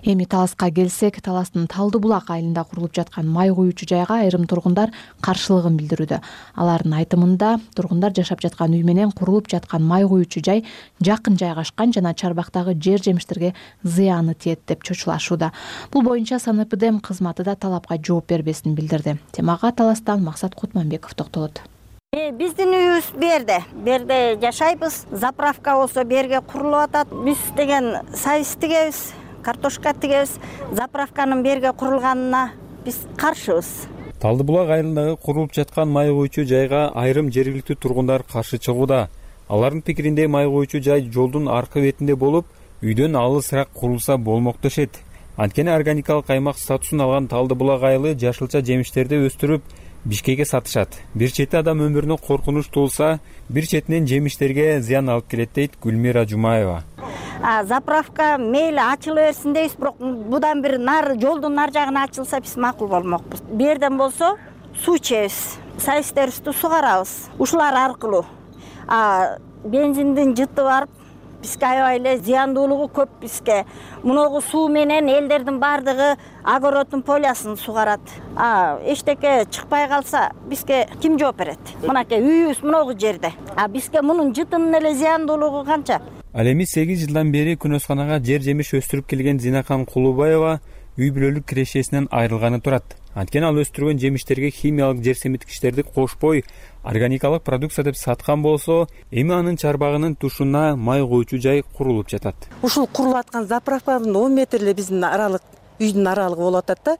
Эми Таласка келсек, Таластын Талды булак айылында курулуп жаткан май куючу жайга айрым тургундар каршылыгын билдирүүдө. Алардын айтымында тургундар жашап жаткан үй менен курулуп жаткан май куючу жай жакын жайгашкан жана чарбактагы жер жемиштерге зыяны тиет деп чочулашууда. Бул боюнча СНПДМ кызматы да талапка жооп бербесин билдирди. Темага Таластан Максат Кутманбеков токтолот. Биздин үйүбүз берде, берде жашайбыз. Заправка болсо берге курулуп атат. Биз деген сайыс тигебиз. Картошка тигебиз, заправканын берге курулганына биз каршыбыз. Талды булак айылындагы курулуп жаткан май куючу жайга айрым жергиликтүү тургундар каршы чыгууда. Алардын пикиринде май куючу жай жолдун аркы бетинде болуп, үйдөн алысыраак курулса болмок дешет. Анткени органикалык аймак статусун алган Талды булак айылы жашылча жемиштерди өстүрүп Бишкекке сатышат. Бир чети адам өмүрүнө коркунуч туулса, бир четинен жемиштерге зыян алып келет дейт Гүлмира Жумаева. Заправка мейли ачыла берсин дейбиз, бирок будан бир нары жолдун нар жагына ачылса биз макул болмокпуз. Бу жерден болсо суу ичебиз, сайыстерибизди сугарабыз. Ушулар аркылуу бензиндин жыты барып бизге аябай эле зыяндуулугу көп. Бизге муногу суу менен элдердин баардыгы огороддун полясын сугарат. Эчтеке чыкпай калса бизге ким жооп берет? Мынакей үйүбүз муногу жерде. А бизге мунун жытынын эле зыяндуулугу канча? Ал эми сегиз жылдан бери күнөсканага жер жемиш өстүрүп келген Зинакан Кулубаева үй бүлөлүк кирешесинен айрылганы турат. Анткени ал өстүргөн жемиштерге химиялык жер семиткичтерди кошпой, органикалык продукция деп саткан болсо, эми анын чарбагынын тушуна май коючу жай курулуп жатат. Ушул курулуп аткан заправканын он метр эле биздин аралык, үйдүн аралыгы болуп атат да.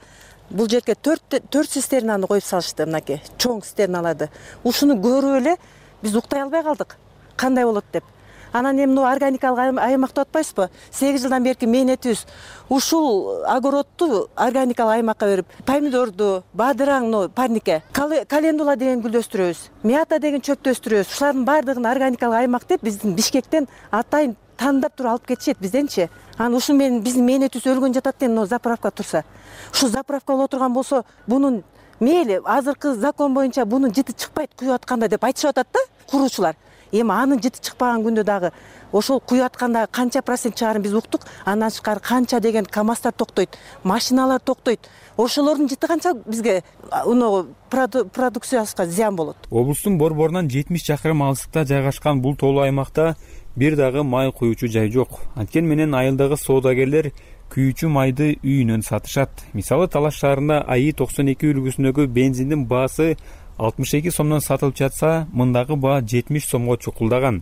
Бул жерге төрт цистернаны коюп салышты, мынакей, чоң цистерналарды. Ушуну көрүп эле биз уктай албай калдык. Кандай болот деп. Анан эми органикалык аймак деп атпайсызбы? сегиз жылдан берки мээнетибиз ушул огородду органикалык аймакка берип, помидорду, бадыраң, парнике, календула деген гүлдү өстүрөбүз, мята деген чөптү өстүрөбүз. Ушулардын баардыгын органикалык аймак деп биздин Бишкектен атайын тандап туруп алып кетишет бизденчи. Анан ушул менен биздин мээнетибиз өлгөн жатат эми мына заправка турса. Ушул заправка боло турган болсо, бунун мейли азыркы закон боюнча бунун жыты чыкпайт куюп атканда деп айтышып атат да куруучулар. Эми анын жыты чыкпаган күндө дагы ошол куюп атканда канча процент чыгарын биз уктук. Андан тышкары канча деген КамАЗдар токтойт, машиналар токтойт. Ошолордун жыты канча бизге уногу продукциясына зыян болот. Облустун борборунан жетимиш чакырым алыстыкта жайгашкан бул тоолуу аймакта бир дагы май куючу жай жок. Анткени менен айылдагы соодагерлер күйүүчү майды үйүнөн сатышат. Мисалы Талаш шаарында АИ токсон эки үлгүсүндөгү бензиндин баасы алтымыш эки сомдон сатылып жатса, мындагы баа жетимиш сомго чукулдаган.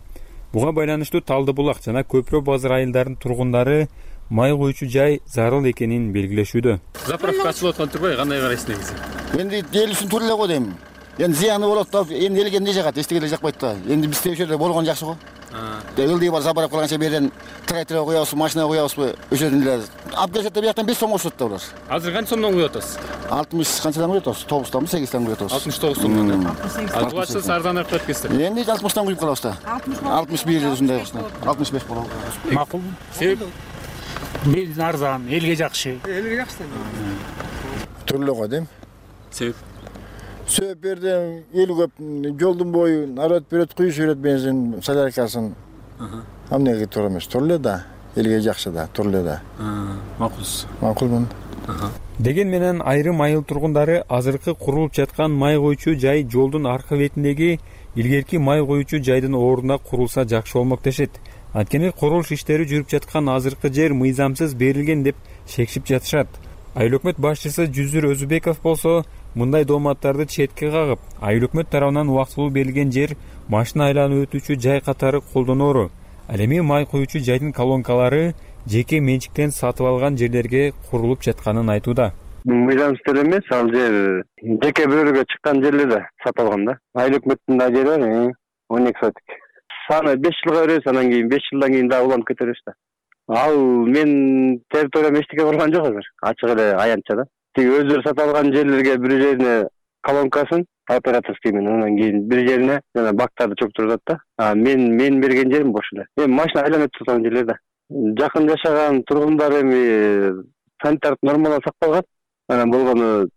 Буга байланыштуу Талды булак жана Көпүрө базар айылдарынын тургундары май куючу жай зарыл экенин белгилешүүдө. Заправка ачылып аткан турбай, кандай карайсың негизи? Энди делисин тура эле го дейм. Энди зыяны болот да, энди элге эмне жагат, эчтеке эле жакпайт да. Энди биз ошол жерде болгон жакшы го. Ылдый бар заправка кылганча берден трактор коябызбы, машина коябызбы, ошодон эле алып келишет да, бияктан беш сом кошот да булар. Азыр канча сомдон куюп атасыз? алтымыш канчадан куюп атабыз? тогуздан сегизден куюп атабыз. алтымыш тогуз сомдон. А булачы арзаныраак коет экенсиздер. Энди алтымыштан куюп калабыз да. алтымыш бир ушундай алтымыш беш болот. Макул. Себеп бензин арзан, элге жакшы. Элге жакшы. Түрлүү го дейм. Себеп Сөп берден эл көп, жолдун бою народ берет, куюшу берет бензин соляркасын. Амнеге туура эмес, турлу да, элге жакшы да, турлу да. Макулсуз. Макулмун. Деген менен айрым айыл тургундары азыркы курулуп жаткан май коючу жай жолдун аркы бетиндеги илгерки май коючу жайдын ордуна курулса жакшы болмок дешет. Анткени курулуш иштери жүрүп жаткан азыркы жер мыйзамсыз берилген деп шекшип жатышат. Айыл өкмөт башчысы Жүзүр Өзүбеков болсо мындай дооматтарды четке кагып, айыл өкмөт тарабынан убактылуу берилген жер машина айланып өтүүчү жай катары колдоноору. Ал эми май коючу жайдын колонкалары жеке менчиктен сатып алган жерлерге курулуп жатканын айтууда. Мыйзамсыз эмес, ал жер жеке бирөөгө чыккан жерлерде сатып алган да. Айыл өкмөттүн да жери бар, он эки сотик. Саны беш жылга беребиз, анан кийин беш жылдан кийин дагы уланып кетебиз да. Ал мен территориям эчтеке курган жок азыр. Ачык эле аянтча да. Тиги өздөрү сатып алган жерлерге бир жерине колонкасын оператор деймин, анан кийин бир жерине жана бактарды чоктурат да. А мен мен берген жерим бош эле. Эми машина айланып турган жерлерде. Жакын жашаган тургундар эми санитардык нормалар сакталган. Анан болгону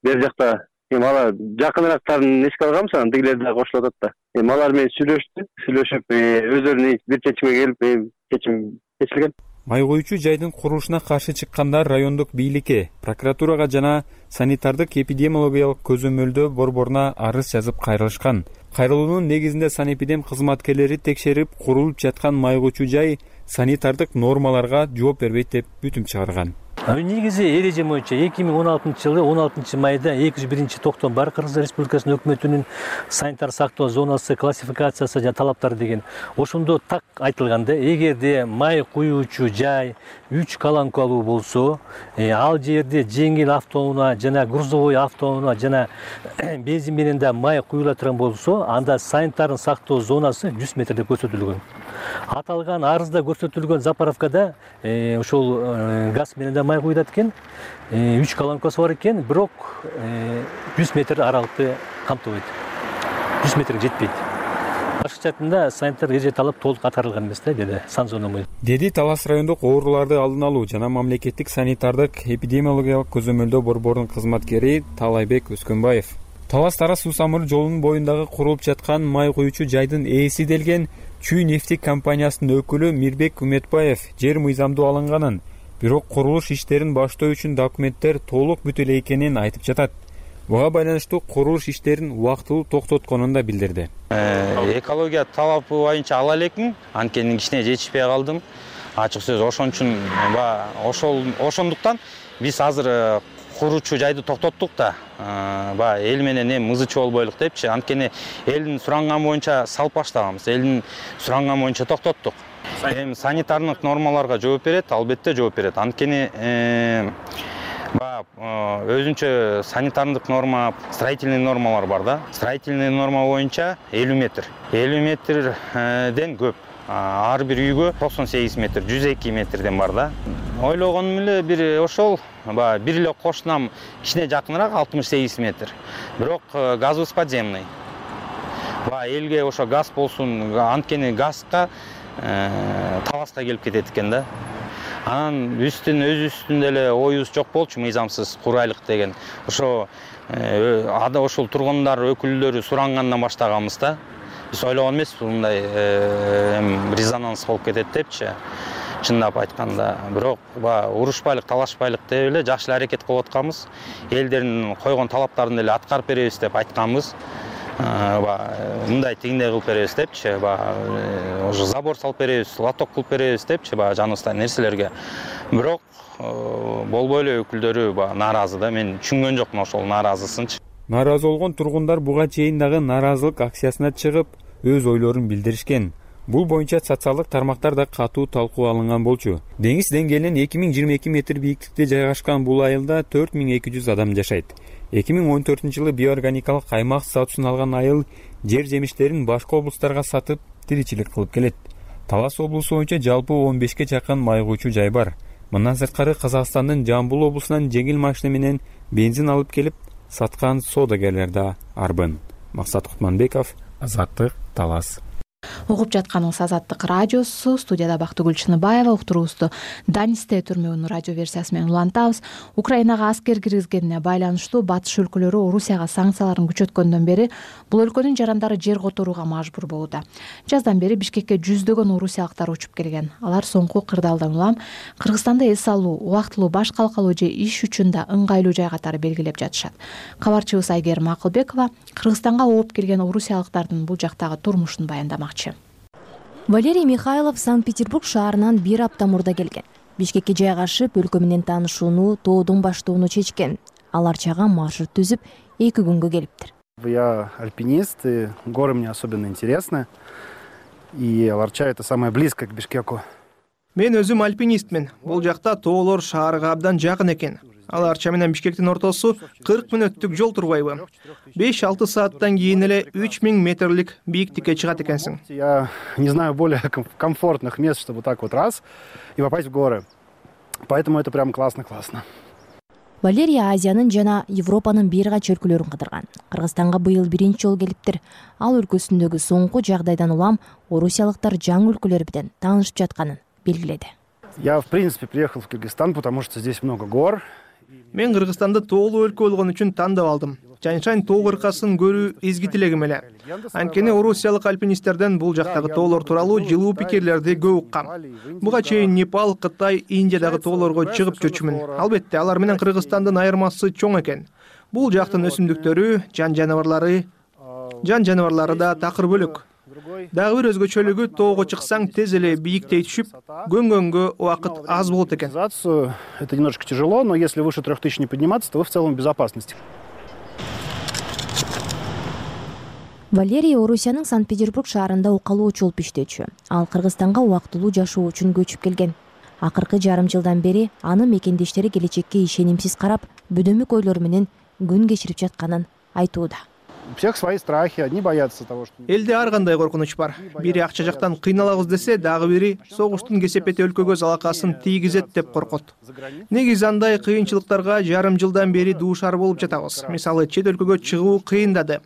бер жакта эми ала жакыныраактарын эске алганбыз, анан тигилер да кошулуп атат да. Эми алар менен сүйлөштү, сүйлөшүп өздөрүнүн бир чечимге келип, чечим чечилген. Май коючу жайдын курулушуна каршы чыккандар райондук бийликке, прокуратурага жана санитардык эпидемиологиялык көзөмөлдөө борборуна арыз жазып кайрылышкан. Кайрылуунун негизинде санэпидем кызматкерлери текшерип, курулуп жаткан май коючу жай санитардык нормаларга жооп бербейт деп бүтүм чыгарган. Негизи эреже боюнча эки миң он алтынчы жылы он алтынчы майда эки жүз биринчи токтом бар Кыргызстан Республикасынын өкмөтүнүн санитар сактоо зонасы классификациясы жана талаптары деген. Ошондо так айтылганда, эгерде май куюучу жай үч колонкалуу болсо, ал жерде жеңил автоунаа жана грузовой автоунаа жана бензин менен да май куюла турган болсо, анда санитардын сактоо зонасы жүз метр деп көрсөтүлгөн. Аталган арызда көрсөтүлгөн заправкада ошол газ менен да май куюлат экен. үч колонкасы бар экен, бирок жүз метр аралыкты камтыбайт. жүз метрге жетпейт. Башкача айтканда санитар эреже талап толук аткарылган эмес да, деди Санзономой. Деди Талас райондук ооруларды алдын алуу жана мамлекеттик санитардык эпидемиологиялык көзөмөлдөө борборунун кызматкери Талайбек Өскөнбаев. Талас Тарас суу самыры жолунун боюндагы курулуп жаткан май куючу жайдын ээси делген Чүй нефтик компаниясынын өкүлү Мирбек Үмөтбаев жер мыйзамдуу алынганын, бирок курулуш иштерин баштоо үчүн документтер толук бүтө эле экенин айтып жатат. Буга байланыштуу курулуш иштерин убактылуу токтотконун да билдирди. Экология талапы боюнча ала элекмин, анткени кичине жетишпей калдым. Ачык сөз ошон үчүн ошол ошондуктан биз азыр куруучу жайды токтоттук да, баягы эл менен эми мызычы болбойлук депчи. Анткени элдин суранганы боюнча салып баштаганбыз, элдин суранганы боюнча токтоттук. Эми санитардык нормаларга жооп берет, албетте жооп берет. Анткени баягы өзүнчө санитардык норма, строительный нормалар бар да. Строительный норма боюнча элүү метр. элүү метрден көп. Ар бир үйгө токсон сегиз метр, жүз эки метрден бар да. Ойлогонум эле бир ошол баягы бир эле кошунам кичине жакыныраак алтымыш сегиз метр. Бирок газыбыз подземный. Баягы элге ошо газ болсун, анткени газга Таласка келип кетет экен да. Анан үстүн өз үстүндө эле оюбуз жок болчу, мыйзамсыз курайлык деген. Ошо ада ошол тургундар өкүлдөрү сурангандан баштаганбыз да. Биз ойлогон эмеспиз мындай резонанс болуп кетет депчи. Чындап айтканда, бирок баягы урушпайлык, талашпайлык деп эле жакшы эле аракет кылып атканбыз. Элдердин койгон талаптарын эле аткарып беребиз деп айтканбыз. Мындай тигиндей кылып беребиз депчи, баягы уже забор салып беребиз, лоток кылып беребиз депчи, баягы жаныбызда нерселерге. Бирок болбой эле өкүлдөрү баягы нааразы да. Мен түшүнгөн жокмун ошол нааразысынчы. Нааразы болгон тургундар буга чейин дагы нааразылык акциясына чыгып, өз ойлорун билдиришкен. Бул боюнча социалдык тармактарда катуу талкуу алынган болчу. Деңиз деңгээлинен эки миң жыйырма эки метр бийиктикте жайгашкан бул айылда төрт миң эки жүз адам жашайт. эки миң он төртүнчү жылы биоорганикалык аймак статусун алган айыл жер жемиштерин башка облустарга сатып, тиричилик кылып келет. Талас облусу боюнча жалпы он бешке жакын май куючу жай бар. Мындан сырткары Казакстандын Жамбыл облусунан жеңил машина менен бензин алып келип саткан соодагерлер да арбын. Максат Кутманбеков, Азаттык, Талас. Угуп жатканыңыз Азаттык радиосу. Студияда Бактыгүл Чыныбаева. Уктуруубузду Данисте түрмөгүнүн радио версиясы менен улантабыз. Украинага аскер киргизгенине байланыштуу батыш өлкөлөрү Орусияга санкцияларын күчөткөндөн бери бул өлкөнүн жарандары жер которууга мажбур болууда. Жаздан бери Бишкекке жүздөгөн орусиялыктар учуп келген. Алар соңку кырдаалдан улам Кыргызстанда эс алуу, убактылуу баш калкалоо же иш үчүн да ыңгайлуу жай катары белгилеп жатышат. Кабарчыбыз Айгерим Акылбекова Кыргызстанга ооп келген орусиялыктардын бул жактагы турмушун баяндамак. Валерий Михайлов Санкт-Петербург шаарынан бир апта мурда келген. Бишкекке жайгашып, өлкө менен таанышууну, тоодон баштоону чечкен. Алар чага маршрут түзүп, эки күнгө келиптир. Я альпинист, и горы мне особенно интересны. И Аларча это самое близкое к Бишкеку. Мен өзүм альпинистмин. Бул жакта тоолор шаарга абдан жакын экен. Аларча менен Бишкектин ортосу кырк мүнөттүк жол турбайбы? беш алты сааттан кийин эле үч миң метрлик бийиктикке чыгат экенсиң. Я не знаю более комфортных мест, чтобы так вот раз и попасть в горы. Поэтому это прям классно-классно. Валерий Азиянын жана Европанын бир кача өлкөлөрүн кыдырган. Кыргызстанга быйыл биринчи жолу келиптир. Ал өлкөсүндөгү соңку жагдайдан улам орусиялыктар жаңы өлкөлөр менен таанышып жатканын белгиледи. Я в принципе приехал в Кыргызстан, потому что здесь много гор. Мен Кыргызстанды тоолуу өлкө болгон үчүн тандап алдым. Чанчан тоо кыркасын көрүү изги тилегим эле. Анткени орусиялык альпинисттерден бул жактагы тоолор тууралуу жылуу пикирлерди көп уккам. Буга чейин Непал, Кытай, Индиядагы тоолорго чыгып жүрчүмүн. Албетте, алар менен Кыргызстандын айырмасы чоң экен. Бул жактын өсүмдүктөрү, жан жаныбарлары, жан жаныбарлары да такыр бөлөк. Дагы бир өзгөчөлүгү тоого чыксаң тез эле бийиктей түшүп, көнгөнгө убакыт аз болот экен. Это немножко тяжело, но если выше трех тысяч не подниматься, то вы в целом в безопасности. Валерий Орусиянын Санкт-Петербург шаарында укалоочу болуп иштечү. Ал Кыргызстанга убактылуу жашоо үчүн көчүп келген. Акыркы жарым жылдан бери анын мекендештери келечекке ишенимсиз карап, бөдөмүк ойлор менен күн кечирип жатканын айтууда. У всех свои страхи, одни боятся того, что... Элде ар кандай коркунуч бар. Бири акча жактан кыйналабыз десе, дагы бири согуштун кесепети өлкөгө залакасын тийгизет деп коркот. Негизи андай кыйынчылыктарга жарым жылдан бери дуушар болуп жатабыз. Мисалы, чет өлкөгө чыгуу кыйындады.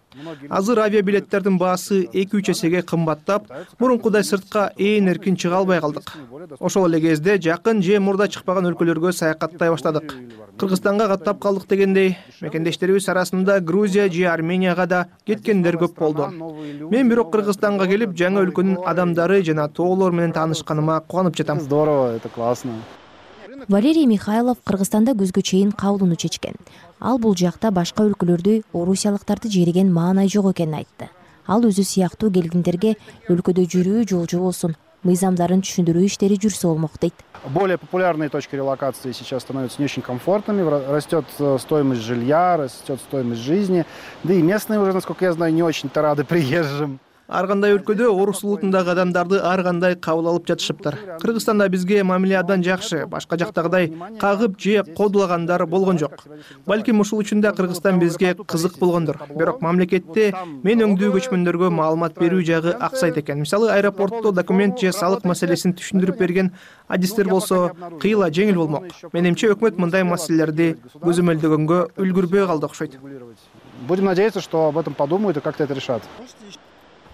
Азыр авиабилеттердин баасы эки үч эсеге кымбаттап, мурункудай сыртка ээн эркин чыга албай калдык. Ошол эле кезде жакын же мурда чыкпаган өлкөлөргө саякаттай баштадык. Кыргызстанга каттап калдык дегендей, мекендештерибиз арасында Грузия же Арменияга да кеткендер көп болду. Мен бирок Кыргызстанга келип, жаңы өлкөнүн адамдары жана тоолор менен таанышканыма кубанып жатам. Здорово, это классно. Валерий Михайлов Кыргызстанда көзгө чейин калууну чечкен. Ал бул жакта башка өлкөлөрдү орусиялыктарды жериген маанай жок экенин айтты. Ал өзү сыяктуу келгиндерге өлкөдө жүрүү жолжу болсун, мыйзамдарын түшүндүрүү иштери жүрсө болмок дейт. Более популярные точки релокации сейчас становятся не очень комфортными, растет стоимость жилья, растет стоимость жизни, да и местные уже, насколько я знаю, не очень-то рады приезжим. Ар кандай өлкөдө орус улутундагы адамдарды ар кандай кабыл алып жатышыптыр. Кыргызстанда бизге мамиле абдан жакшы, башка жактагыдай кагып же кодулагандар болгон жок. Балким ушул үчүн да Кыргызстан бизге кызык болгондур. Бирок мамлекетте мен өңдүү көчмөндөргө маалымат берүү жагы аксайт экен. Мисалы, аэропортто документ же салык маселесин түшүндүрүп берген адистер болсо кыйла жеңил болмок. Менимче өкмөт мындай маселелерди көзөмөлдөгөнгө үлгүрбөй калды окшойт. Будем надеяться, что об этом подумают и как-то это решат.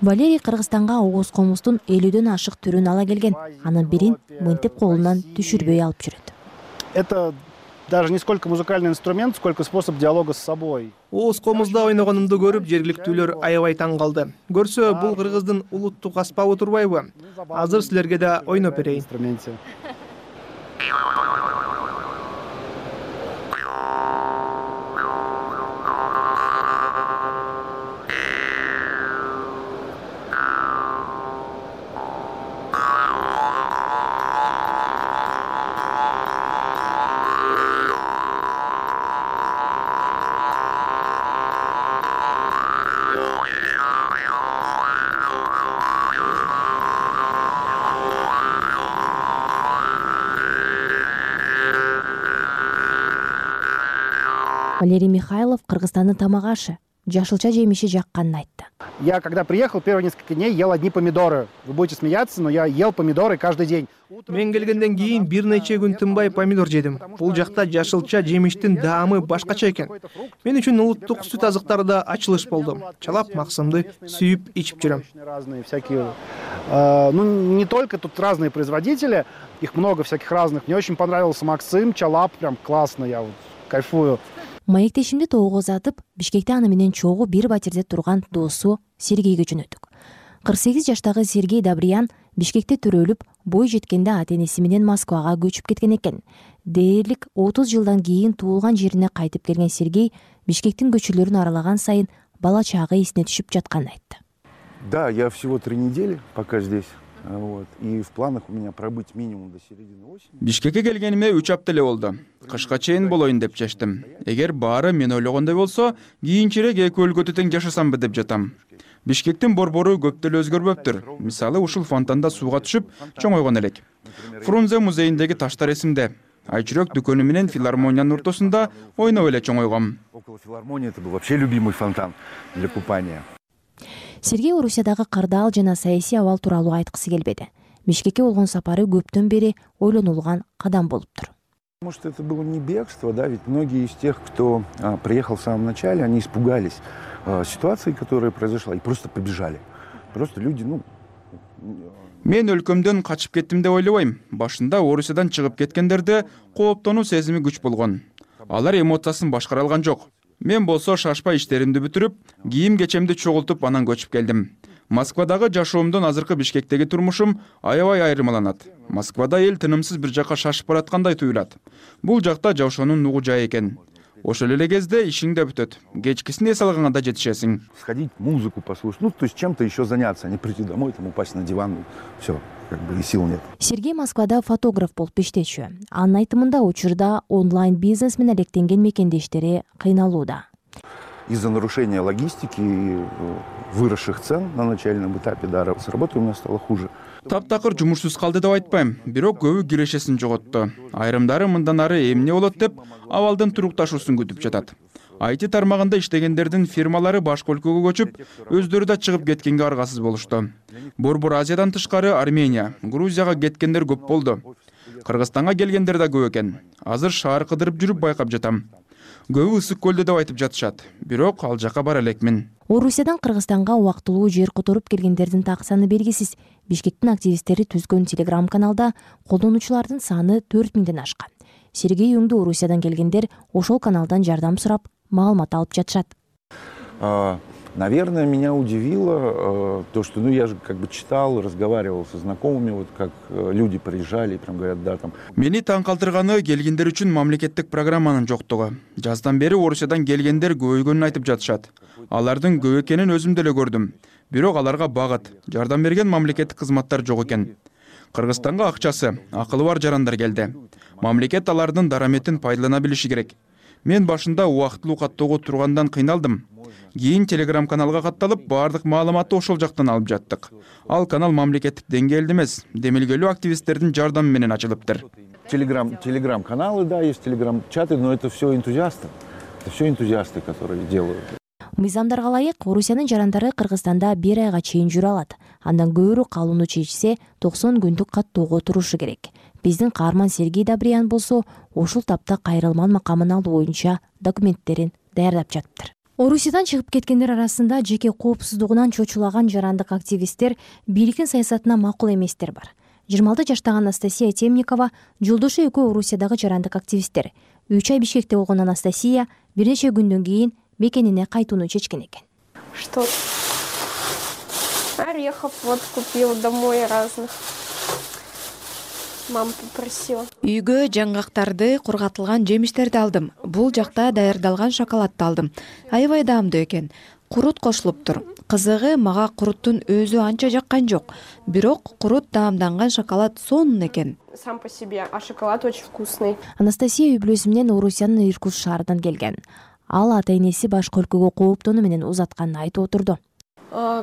Валерий Кыргызстанга оғоз комуздун элүүдөн ашык түрүн ала келген. Анын бирин мынтип колунан түшүрбөй алып жүрөт. Это даже не сколько музыкальный инструмент, сколько способ диалога с собой. Оғоз комузда ойногонумду көрүп, жергиликтүүлөр аябай таң калды. Көрсө, бул кыргыздын улуттук аспабы турбайбы? Азыр силерге да ойноп берейин. Валерий Михайлов Кыргызстандын тамак ашы, жашылча жемиши жакканын айтты. Я, когда приехал, первые несколько дней ел одни помидоры. Вы будете смеяться, но я ел помидоры каждый день. Мен келгенден кийин бир нече күн тынбай помидор жедим. Бул жакта жашылча жемиштин даамы башкача экен. Мен үчүн улуттук сүт азыктары да ачылыш болду. Чалап максымды сүйүп ичип жүрөм. Разные всякие. Ну, не только тут разные производители, их много всяких разных. Мне очень понравился Максим, Чалап, прям классно, я вот кайфую. Маектешимди тоого узатып, Бишкекте аны менен чогуу бир батирде турган досу Сергейге жөнөттүк. кырк сегиз жаштагы Сергей Добриян Бишкекте төрөлүп, бой жеткенде ата-энеси менен Москвага көчүп кеткен экен. Дээрлик отуз жылдан кийин туулган жерине кайтып келген Сергей Бишкектин көчөлөрүн аралаган сайын бала чагы эсине түшүп жатканын айтты. Да, я всего три недели пока здесь. Вот. И в планах у меня пробыть минимум до середины осени. Бишкекке келгениме үч апта эле болду. Кышка чейин болоюн деп чечтим. Эгер баары мен ойлогондой болсо, кийинчерээк эки өлкөдө тең жашасамбы деп жатам. Бишкектин борбору көп деле өзгөрбөптүр. Мисалы, ушул фонтанда сууга түшүп чоңойгон элек. Фрунзе музейиндеги таштар эсимде. Айчүрөк дүкөнү менен филармониянын ортосунда ойноп эле чоңойгом. Около филармонии это был вообще любимый фонтан для купания. Сергей Орусиядагы кырдаал жана саясий абал тууралуу айткысы келбеди. Бишкекке болгон сапары көптөн бери ойлонулган кадам болуптур. Может, это было не бегство, да, ведь многие из тех, кто а, приехал в самом начале, они испугались а, ситуации, которая произошла, и просто побежали. Просто люди, ну... Мен өлкөмдөн качып кеттим деп ойлобойм. Башында Орусиядан чыгып кеткендерде кооптонуу сезими күч болгон. Алар эмоциясын башкара алган жок. Мен болсо шашпай иштеримди бүтүрүп, кийим кечемди чогултуп анан көчүп келдим. Москвадагы жашоомдон азыркы Бишкектеги турмушум аябай айырмаланат. Москвада эл тынымсыз бир жака шашып бараткандай туюлат. Бул жакта жашоонун нугу жай экен. Ошол эле кезде ишиң да бүтөт. Кечкисин эс алганга да жетишесиң. Сходить, музыку послушать, ну, то есть чем-то еще заняться, а не прийти домой, там, упасть на диван, все, как бы и сил нет. Сергей Москвада фотограф болуп иштечү. Анын айтымында учурда онлайн бизнес менен алектенген мекендештери кыйналууда. Из-за нарушения логистики и выросших цен на начальном этапе, да, с работой у меня стало хуже. Таптакыр жумушсуз калды деп айтпайм, бирок көбү кирешесин жоготту. Айрымдары мындан ары эмне болот деп абалдын турукташуусун күтүп жатат. ай ти тармагында иштегендердин фирмалары башка өлкөгө көчүп, өздөрү да чыгып кеткенге аргасыз болушту. Борбор Азиядан тышкары Армения, Грузияга кеткендер көп болду. Кыргызстанга келгендер да көп экен. Азыр шаар кыдырып жүрүп байкап жатам. Көбү ысык көлдө деп айтып жатышат. Бирок ал жака бара элекмин. Орусиядан Кыргызстанга убактылуу жер которуп келгендердин так саны белгисиз. Бишкектин активисттери түзгөн телеграм-каналда колдонуучулардын саны төрт миңден ашкан. Сергей Юңду Орусиядан келгендер ошол каналдан жардам сурап, маалымат алып жатышат. Наверное, меня удивило то, что, ну, я же как бы читал, разговаривал со знакомыми, вот как люди приезжали и прям говорят, да, там. Мени таң калтырганы келгендер үчүн мамлекеттик программанын жоктугу. Жаздан бери Орусиядан келгендер көбөйгөнүн айтып жатышат. Алардын көп экенин өзүм деле көрдүм. Бирок аларга багыт, жардам берген мамлекеттик кызматтар жок экен. Кыргызстанга акчасы, акылы бар жарандар келди. Мамлекет алардын дараметин пайдалана билиши керек. Мен башында убактылуу каттоого тургандан кыйналдым. Кийин телеграм-каналга катталып, баардык маалыматты ошол жактан алып жаттык. Ал канал мамлекеттик деңгээлде эмес, демилгелүү активисттердин жардамы менен ачылыптыр. Телеграм, телеграм-каналы, да, есть телеграм-чаты, но это все энтузиасты. Это все энтузиасты, которые делают. Мыйзамдарга ылайык Орусиянын жарандары Кыргызстанда бир айга чейин жүрө алат. Андан көбүрөөк калууну чечсе, токсон күндүк каттоого турушу керек. Биздин каарман Сергей Добриян болсо, ушул тапта кайрылман макамын алуу боюнча документтерин даярдап жатыптыр. Орусиядан чыгып кеткендер арасында жеке коопсуздугунан чочулаган жарандык активисттер, бийликтин саясатына макул эместер бар. жыйырма алты жаштагы Анастасия Темникова жолдошу экөө Орусиядагы жарандык активисттер. үч ай Бишкекте болгон Анастасия бир нече күндөн кийин мекенине кайтууну чечкен экен. Что? Орехов вот купил домой разных. Мама попросила. Үйгө жаңгактарды, кургатылган жемиштерди алдым. Бул жакта даярдалган шоколадты алдым. Аябай даамдуу экен. Курут кошулуптур. Кызыгы мага куруттун өзү анча жаккан жок. Бирок курут даамданган шоколад сонун экен. Сам по себе, а шоколад очень вкусный. Анастасия үй бүлөсү менен Орусиянын Иркутск шаарынан келген. Ал ата-энеси башка өлкөгө кооптонуу менен узатканын айтып отурду.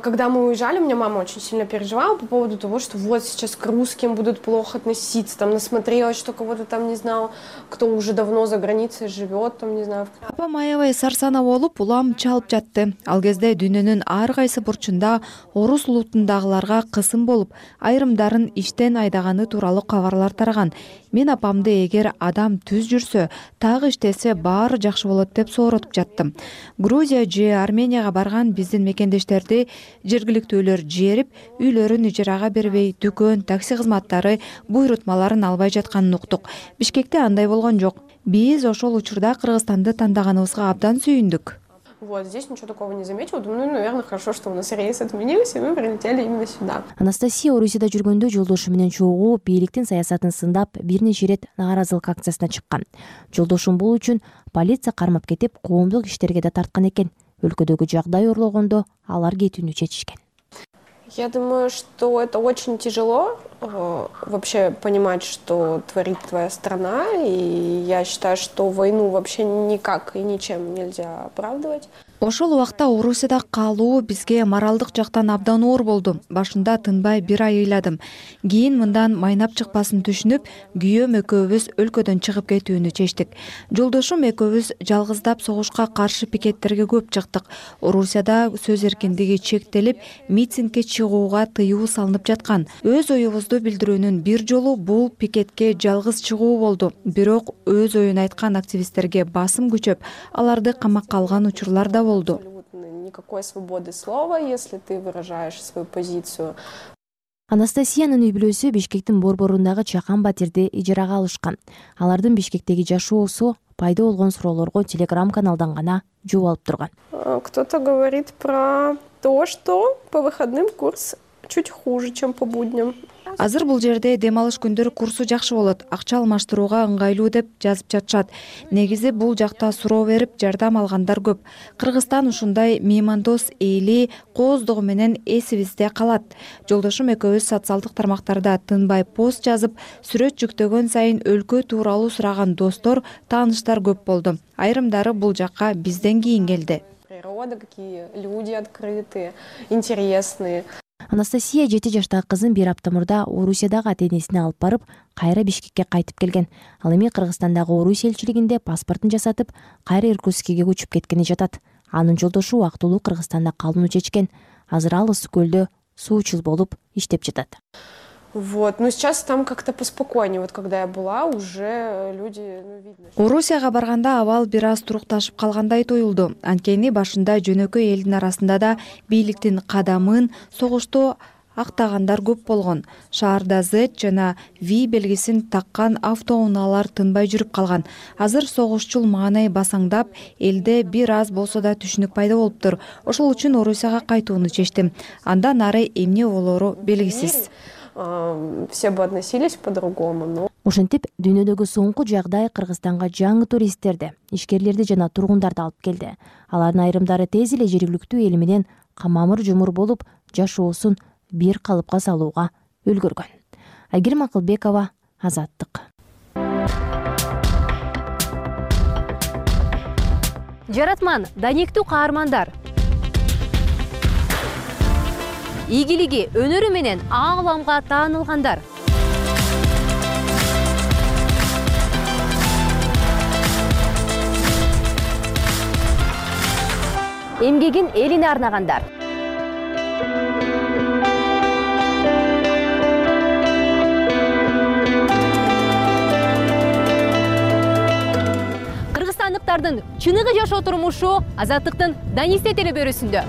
Когда мы уезжали, у меня мама очень сильно переживала по поводу того, что вот сейчас к русским будут плохо относиться, там насмотрелась, что кого-то там не знал, кто уже давно за границей живет, там не знаю. Апам аябай сарсана болуп, улам чалып жатты. Ал кезде дүйнөнүн ар кайсы бурчунда орус улутундагыларга кысым болуп, айрымдарын иштен айдаганы тууралуу кабарлар тараган. Мен апамды эгер адам түз жүрсө, так иштесе баары жакшы болот деп сооротуп жаттым. Грузия же Арменияга барган биздин мекендештерди жергиликтүүлөр жерип, үйлөрүн ижарага бербей, дүкөн, такси кызматтары буйрутмаларын албай жатканын уктук. Бишкекте андай болгон жок. Биз ошол учурда Кыргызстанды тандаганыбызга абдан сүйүндүк. Вот, здесь ничего такого не заметила. Думаю, ну, наверное, хорошо, что у нас рейс отменился, и мы прилетели именно сюда. Анастасия Орусияда жүргөндө жолдошу менен чогуу бийликтин саясатын сындап, бир нече ирет нааразылык акциясына чыккан. Жолдошум бул үчүн полиция кармап кетип, коомдук иштерге да тарткан экен. Өлкөдөгү жагдай орлогондо алар кетүүнү чечишкен. Я думаю, что это очень тяжело э, вообще понимать, что творит твоя страна, и я считаю, что войну вообще никак и ничем нельзя оправдывать. Ошол убакта Орусияда калуу бизге моралдык жактан абдан оор болду. Башында тынбай бир ай ыйладым. Кийин мындан майнап чыкпасын түшүнүп, күйөөм экөөбүз өлкөдөн чыгып кетүүнү чечтик. Жолдошум экөөбүз жалгыздап согушка каршы пикеттерге көп чыктык. Орусияда сөз эркиндиги чектелип, митингге чыгууга тыюу салынып жаткан. Өз оюбузду билдирүүнүн бир жолу бул пикетке жалгыз чыгуу болду. Бирок өз оюн айткан активисттерге басым күчөп, аларды камакка алган учурлар да болду. Никакой свободы слова, если ты выражаешь свою позицию. Анастасиянын үй бүлөсү Бишкектин борборундагы Чакан батирди ижарага алышкан. Алардын Бишкектеги жашоосу пайда болгон суроолорго телеграм-каналдан гана жооп алып турган. Кто-то говорит про то, что по выходным курс чуть хуже, чем по будням. Азыр бул жерде дем алыш күндөрү курсу жакшы болот, акча алмаштырууга ыңгайлуу деп жазып жатышат. Негизи бул жакта суроо берип, жардам алгандар көп. Кыргызстан ушундай меймандос эли кооздугу менен эсибизде калат. Жолдошум экөөбүз социалдык тармактарда тынбай пост жазып, сүрөт жүктөгөн сайын өлкө тууралуу сураган достор, тааныштар көп болду. Айрымдары бул жакка бизден кийин келди. Природа, какие люди открытые, интересные. Анастасия жети жаштагы кызын бир апта мурда Орусиядагы ата энесине алып барып, кайра Бишкекке кайтып келген. Ал эми Кыргызстандагы Орусия элчилигинде паспортун жасатып, кайра Иркутскиге көчүп кеткени жатат. Анын жолдошу убактылуу Кыргызстанда калууну чечкен. Азыр ал ысык көлдө суучул болуп иштеп жатат. Вот, но сейчас там как-то поспокойнее. Вот когда я была, уже люди, ну, видно. Орусияга барганда абал бир аз турукташып калгандай туюлду. Анткени башында жөнөкөй элдин арасында да бийликтин кадамын согушту актагандар көп болгон. Шаарда Z жана V белгисин таккан автоунаалар тынбай жүрүп калган. Азыр согушчул маанай басаңдап, элде бир аз болсо да түшүнүк пайда болуптур. Ошол үчүн Орусияга кайтууну чечтим. Андан ары эмне болору белгисиз. Все бы относились по-другому, но... Ошентип, дүйнөдөгү соңку жагдай Кыргызстанга жаңы туристтерди, ишкерлерди жана тургундарды алып келди. Алардын айрымдары тез эле жергиликтүү эл менен камамыр жумур болуп, жашоосун бир калыпка салууга үлгөргөн. Айгерим Акылбекова, Азаттык. Жаратман, данектүү каармандар. Ийгилиги, өнөрү менен ааламга таанылгандар. Эмгегин элине арнагандар. Кыргызстандыктардын чыныгы жашоо турмушу Азаттыктын Данисте телебөрүсүндө.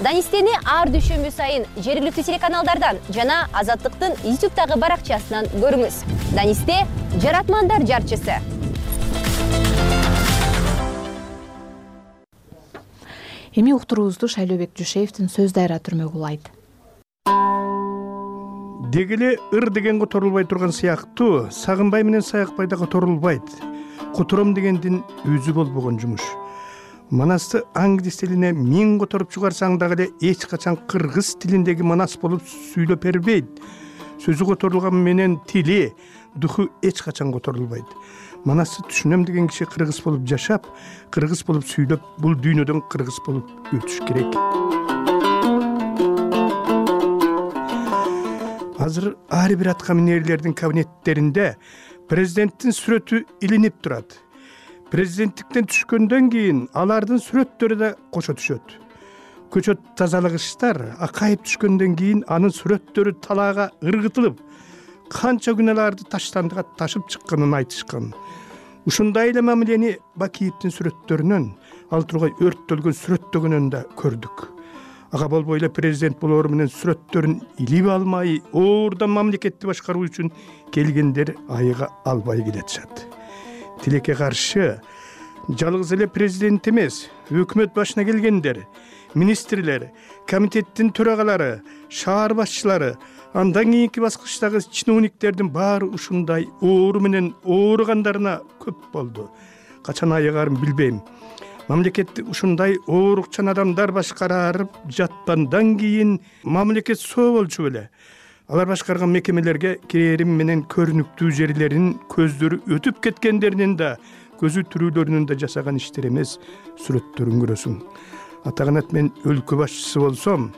Данистени ар дүйшөмбү сайын жергиликтүү телеканалдардан жана Азаттыктын ютубтагы баракчасынан көрүңүз. Данисте — жаратмандар жарчысы. Эми уктуруубузду Шайлообек Жушеевдин сөз дайра түрмөгү улайт. Дегеле ыр деген которулбай турган сыяктуу, сагынбай менен саякбай да которулбайт. Котором дегендин өзү болбогон жумуш. Манасты аңгидис тилине миң которуп чыгарсаң дагы эле эч качан кыргыз тилиндеги манас болуп сүйлөп бербейт. Сөзү которулган менен тили, духу эч качан которулбайт. Манасты түшүнөм деген киши кыргыз болуп жашап, кыргыз болуп сүйлөп, бул дүйнөдөн кыргыз болуп өтүш керек. Азыр ар бир атка минерлердин кабинеттеринде президенттин сүрөтү илинип турат. Президенттиктен түшкөндөн кийин алардын сүрөттөрү да кошо түшөт. Көчөт тазалагычтар акайып түшкөндөн кийин анын сүрөттөрү талаага ыргытылып, канча күнөөлөрдү таштандыга ташып чыкканын айтышкан. Ушундай эле мамилени Бакиевдин сүрөттөрүнөн, ал тургай өрттөлгөн сүрөттөгөнөн да көрдүк. Ага болбой эле президент болоору менен сүрөттөрүн илип алмай, оордан мамлекетти башкаруу үчүн келгендер айыга албай келатышат. Тилекке каршы жалгыз эле президент эмес, өкмөт башына келгендер, министрлер, комитеттин төрагалары, шаар башчылары, андан кийинки баскычтагы чиновниктердин баары ушундай оору менен ооругандарына көп болду. Качан айыгарын билбейм. Мамлекетти ушундай оорукчан адамдар башкарып жаткандан кийин мамлекет соо болчу беле. Алар башкарган мекемелерге кирерим менен көрүнүктүү жерлерин көздөрү өтүп кеткендеринин да, көзү түрүүлөрүнүн да жасаган иштер эмес, сүрөттөрүн көрөсүң. Атаганат мен өлкө башчысы болсом,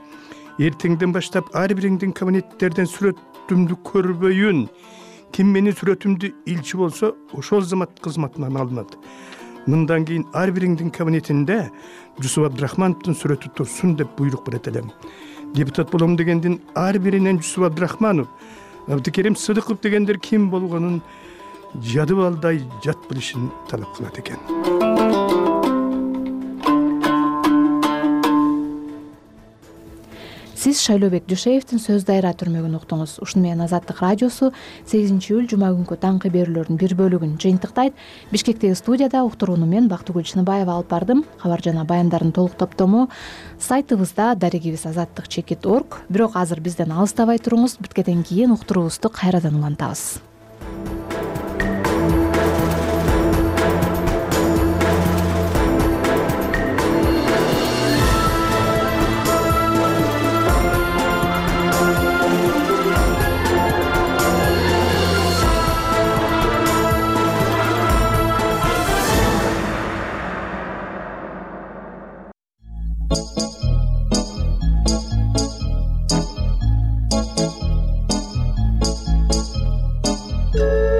эртеңден баштап ар бириңдин кабинеттерден сүрөтүмдү көрбөйүн. Ким менин сүрөтүмдү илчи болсо, ошол замат кызматынан алынат. Мындан кийин ар бириңдин кабинетинде Жусуп Абдрахмановдун сүрөтү турсун деп буйрук берет элем. Депутат болом дегендин ар биринен Жусуп Абдрахманов, Абдыкерим Сыдыков дегендер ким болгонун жады балдай жат билишин талап кылат экен. Сиз Шайлообек Жушеевдин сөз дайра түрмөгүн уктуңуз. Ушуну менен Азаттык радиосу сегизинчи июль жума күнкү таңкы берүүлөрдүн бир бөлүгүн жыйынтыктайт. Бишкектеги студияда уктурууну мен Бактыгүл Чыныбаева алып бардым. Кабар жана баяндардын толук топтому сайтыбызда дарегибиз азаттык чекит точка орг. Бирок азыр бизден алыстабай туруңуз. Биткенден кийин уктуруубузду кайрадан улантабыз. Thank you.